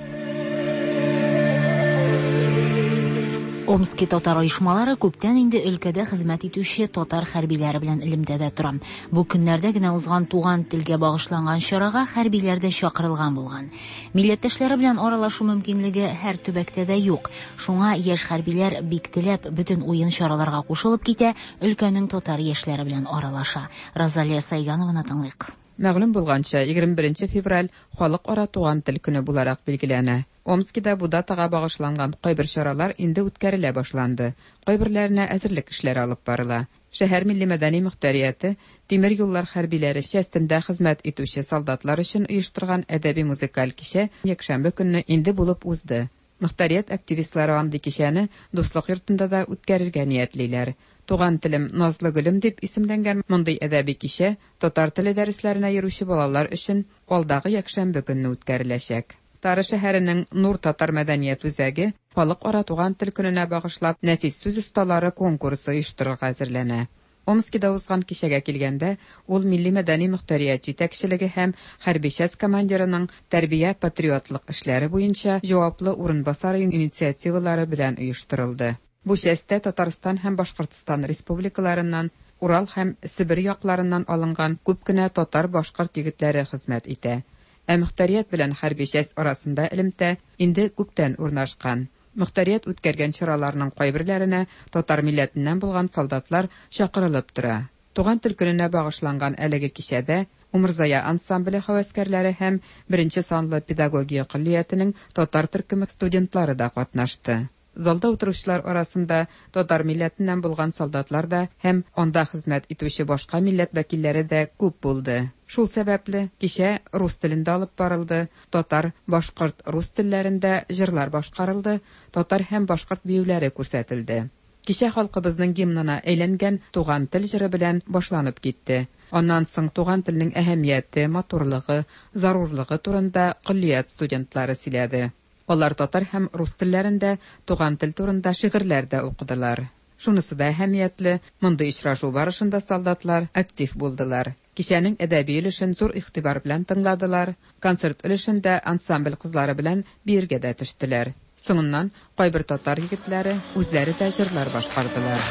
Омски татар оешмалары күптән инде өлкәдә хезмәт итүче татар хәрбиләре белән элемтәдә тора. Бу көннәрдә генә узган туган телгә багышланган чарага хәрбиләр дә чакырылган булган. Милләттәшләре белән аралашу мөмкинлеге һәр төбәктә дә юк. Шуңа яшь хәрбиләр бик теләп бөтен уен чараларга кушылып китә, өлкәнең татар яшьләре белән аралаша. Розалия Сайганованы тыңлыйк. Мәгълүм булганча, егерме беренче февраль халыкара туган тел көне буларак билгеләнә. Омскида бу датага багышланган кайбер чаралар инде үткәрелә башланды. Кайберләренә әзерлек эшләре алып барыла. Шәһәр милли мәдәни мөхтәрияте тимер юллар хәрбиләре частендә хезмәт итүче солдатлар өчен оештырган әдәби музыкаль кичә якшәмбе көнне инде булып узды. Мөхтәрият активистлары андый кичәне Дуслык йортында да үткәрергә ниятлиләр. Туган телем назлы гөлем дип исемләнгән мондый әдәби кичә татар теле дәресләренә йөрүче балалар өчен алдагы якшәмбе көнне үткәреләчәк. Тары шәһәренең Нур татар мәдәният үзәге халыкара туган тел көненә багышлап нәфис сүз осталары конкурсы оештырырга әзерләнә. Омскида узган кичәгә килгәндә, ул милли мәдәни мөхтәрият җитәкчелеге һәм хәрби часть командирының тәрбия патриотлык эшләре буенча җаваплы урынбасары инициативалары белән оештырылды. Бу частьтә Татарстан һәм Башкортстан республикаларыннан, Урал һәм Себер якларыннан алынган күп кенә татар-башкорт егетләре хезмәт итә. Ә мөхтәрият белән хәрби часть арасында элемтә инде күптән урнашкан. Мөхтәрият үткәргән чараларның кайберләренә татар милләтеннән булган солдатлар чакырылып тора. Туган тел көненә багышланган әлеге кичәдә Умырзая ансамбле һәвәскәрләре һәм беренче санлы педагогия көллиятенең татар төркеме студентлары да катнашты. Залда утыручылар арасында татар милләтеннән булган солдатлар да һәм анда хезмәт итүче башка милләт вәкилләре дә күп булды. Шул сәбәпле кичә рус телендә алып барылды, татар, башкорт, рус телләрендә җырлар башкарылды, татар һәм башкорт биюләре күрсәтелде. Кичә халкыбызның гимнына әйләнгән Туган тел җыры белән башланып китте. Аннан соң туган телнең әһәмияте, матурлыгы, зарурлыгы турында көллият студентлары сөйләде. Алар татар һәм рус телләрендә туган тел турында шигырьләр дә укыдылар. Шунысы да әһәмиятле, мондый очрашу барышында солдатлар актив булдылар. Кичәнең әдәби өлешен зур игътибар белән тыңладылар, концерт өлешендә ансамбль кызлары белән биергә дә төштеләр. Соңыннан кайбер татар егетләре үзләре дә җырлар башкардылар.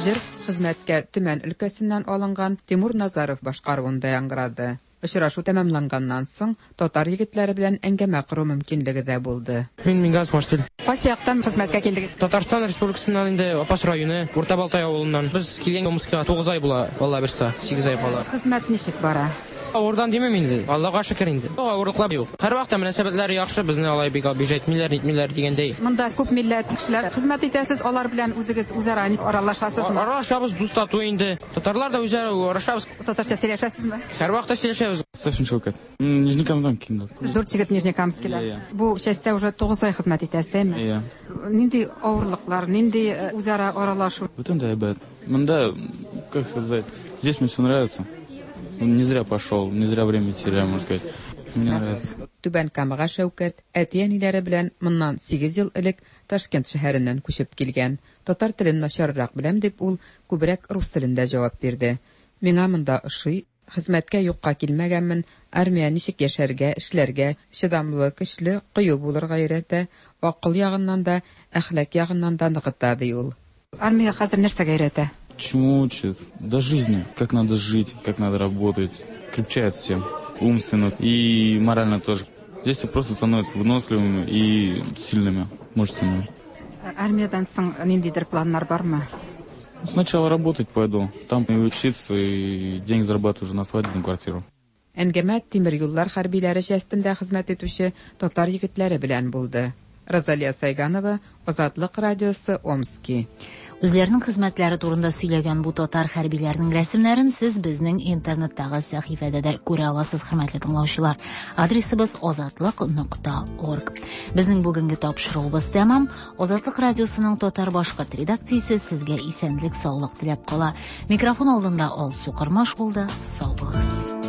Җыр хезмәткә Төмән өлкәсеннән алынган Тимур Назаров башкаруында яңгырады. Очрашу тәмамланганнан соң татар егетләре белән әңгәмә кору мөмкинлеге дә булды. Мин Мингаз Марсель. Кайсы яктан хезмәткә килдегез? Татарстан Республикасыннан инде Апас районы, Урта Балтай авылыннан. Без килгән Омскига тугыз ай була, Алла бирса, сигез ай була. Хезмәт ничек бара? Авырдан димим инде. Аллага шөкер инде. Авырлыклар юк. Һәрвакытта мөнәсәбәтләр яхшы, безне алай бик обижать итмиләр, нитмиләр дигәндәй. Монда күп милләт кешеләр хезмәт итәсез, алар белән үзегез үзара аралашасызмы? Аралашабыз, дус тату инде. Татарлар да үзара аралашабыз. Татарча сөйләшәсезме? Һәрвакытта сөйләшәбез. Совсем Шәүкәт. Нижнекамскидан килдем. Сез дүрт егет Нижнекамскидан. Бу частьта уже тугыз ай хезмәт итәсезме? Иә. Нинди авырлыклар, нинди үзара аралашу? Бөтен дә әйбәт. Монда, как сказать, здесь мне все нравится. Не зря пошел, не зря время теряю, можно сказать. Мне нравится. Түбән Камага Шәүкәт әти-әниләре белән моннан сигез ел элек Ташкент шәһәреннән күчеп килгән. Татар телен начаррак беләм дип ул күбрәк рус телендә җавап бирде. Миңа монда ошый, хезмәткә юкка килмәгәнмен, армия ничек яшәргә, эшләргә, чыдамлы, көчле, кыю булырга өйрәтә, акыл ягыннан да, әхлак ягыннан да ныгыта, ди ул. Армия хәзер нәрсәгә өйрәтә? Чему учит? До жизни. Как надо жить, как надо работать. Крепчает всем. Умственно и морально тоже. Здесь все просто становятся выносливыми и сильными, мужественными. Армиядан соң ниндидер планнар бармы? Сначала работать пойду. Там и учиться, и деньги зарабатываю уже на свадебную квартиру. Әңгәмә тимер юллар хәрбиләре частендә хезмәт итүче татар егетләре белән булды. Розалия Сайганова, Азатлык радиосы, Омски. Үзләренең хезмәтләре турында сөйләгән бу татар хәрбиләренең рәсемнәрен сез безнең интернеттагы сәхифәдә дә күрә аласыз, хөрмәтле тыңлаучылар. Адресыбыз азатлык нокта орг. Безнең бүгенге тапшыруыбыз тәмам. Азатлык радиосының татар-башкорт редакциясе сезгә исәнлек, саулык теләп кала. Микрофон алдында Алсу Кырмаш булды. Сау булыгыз.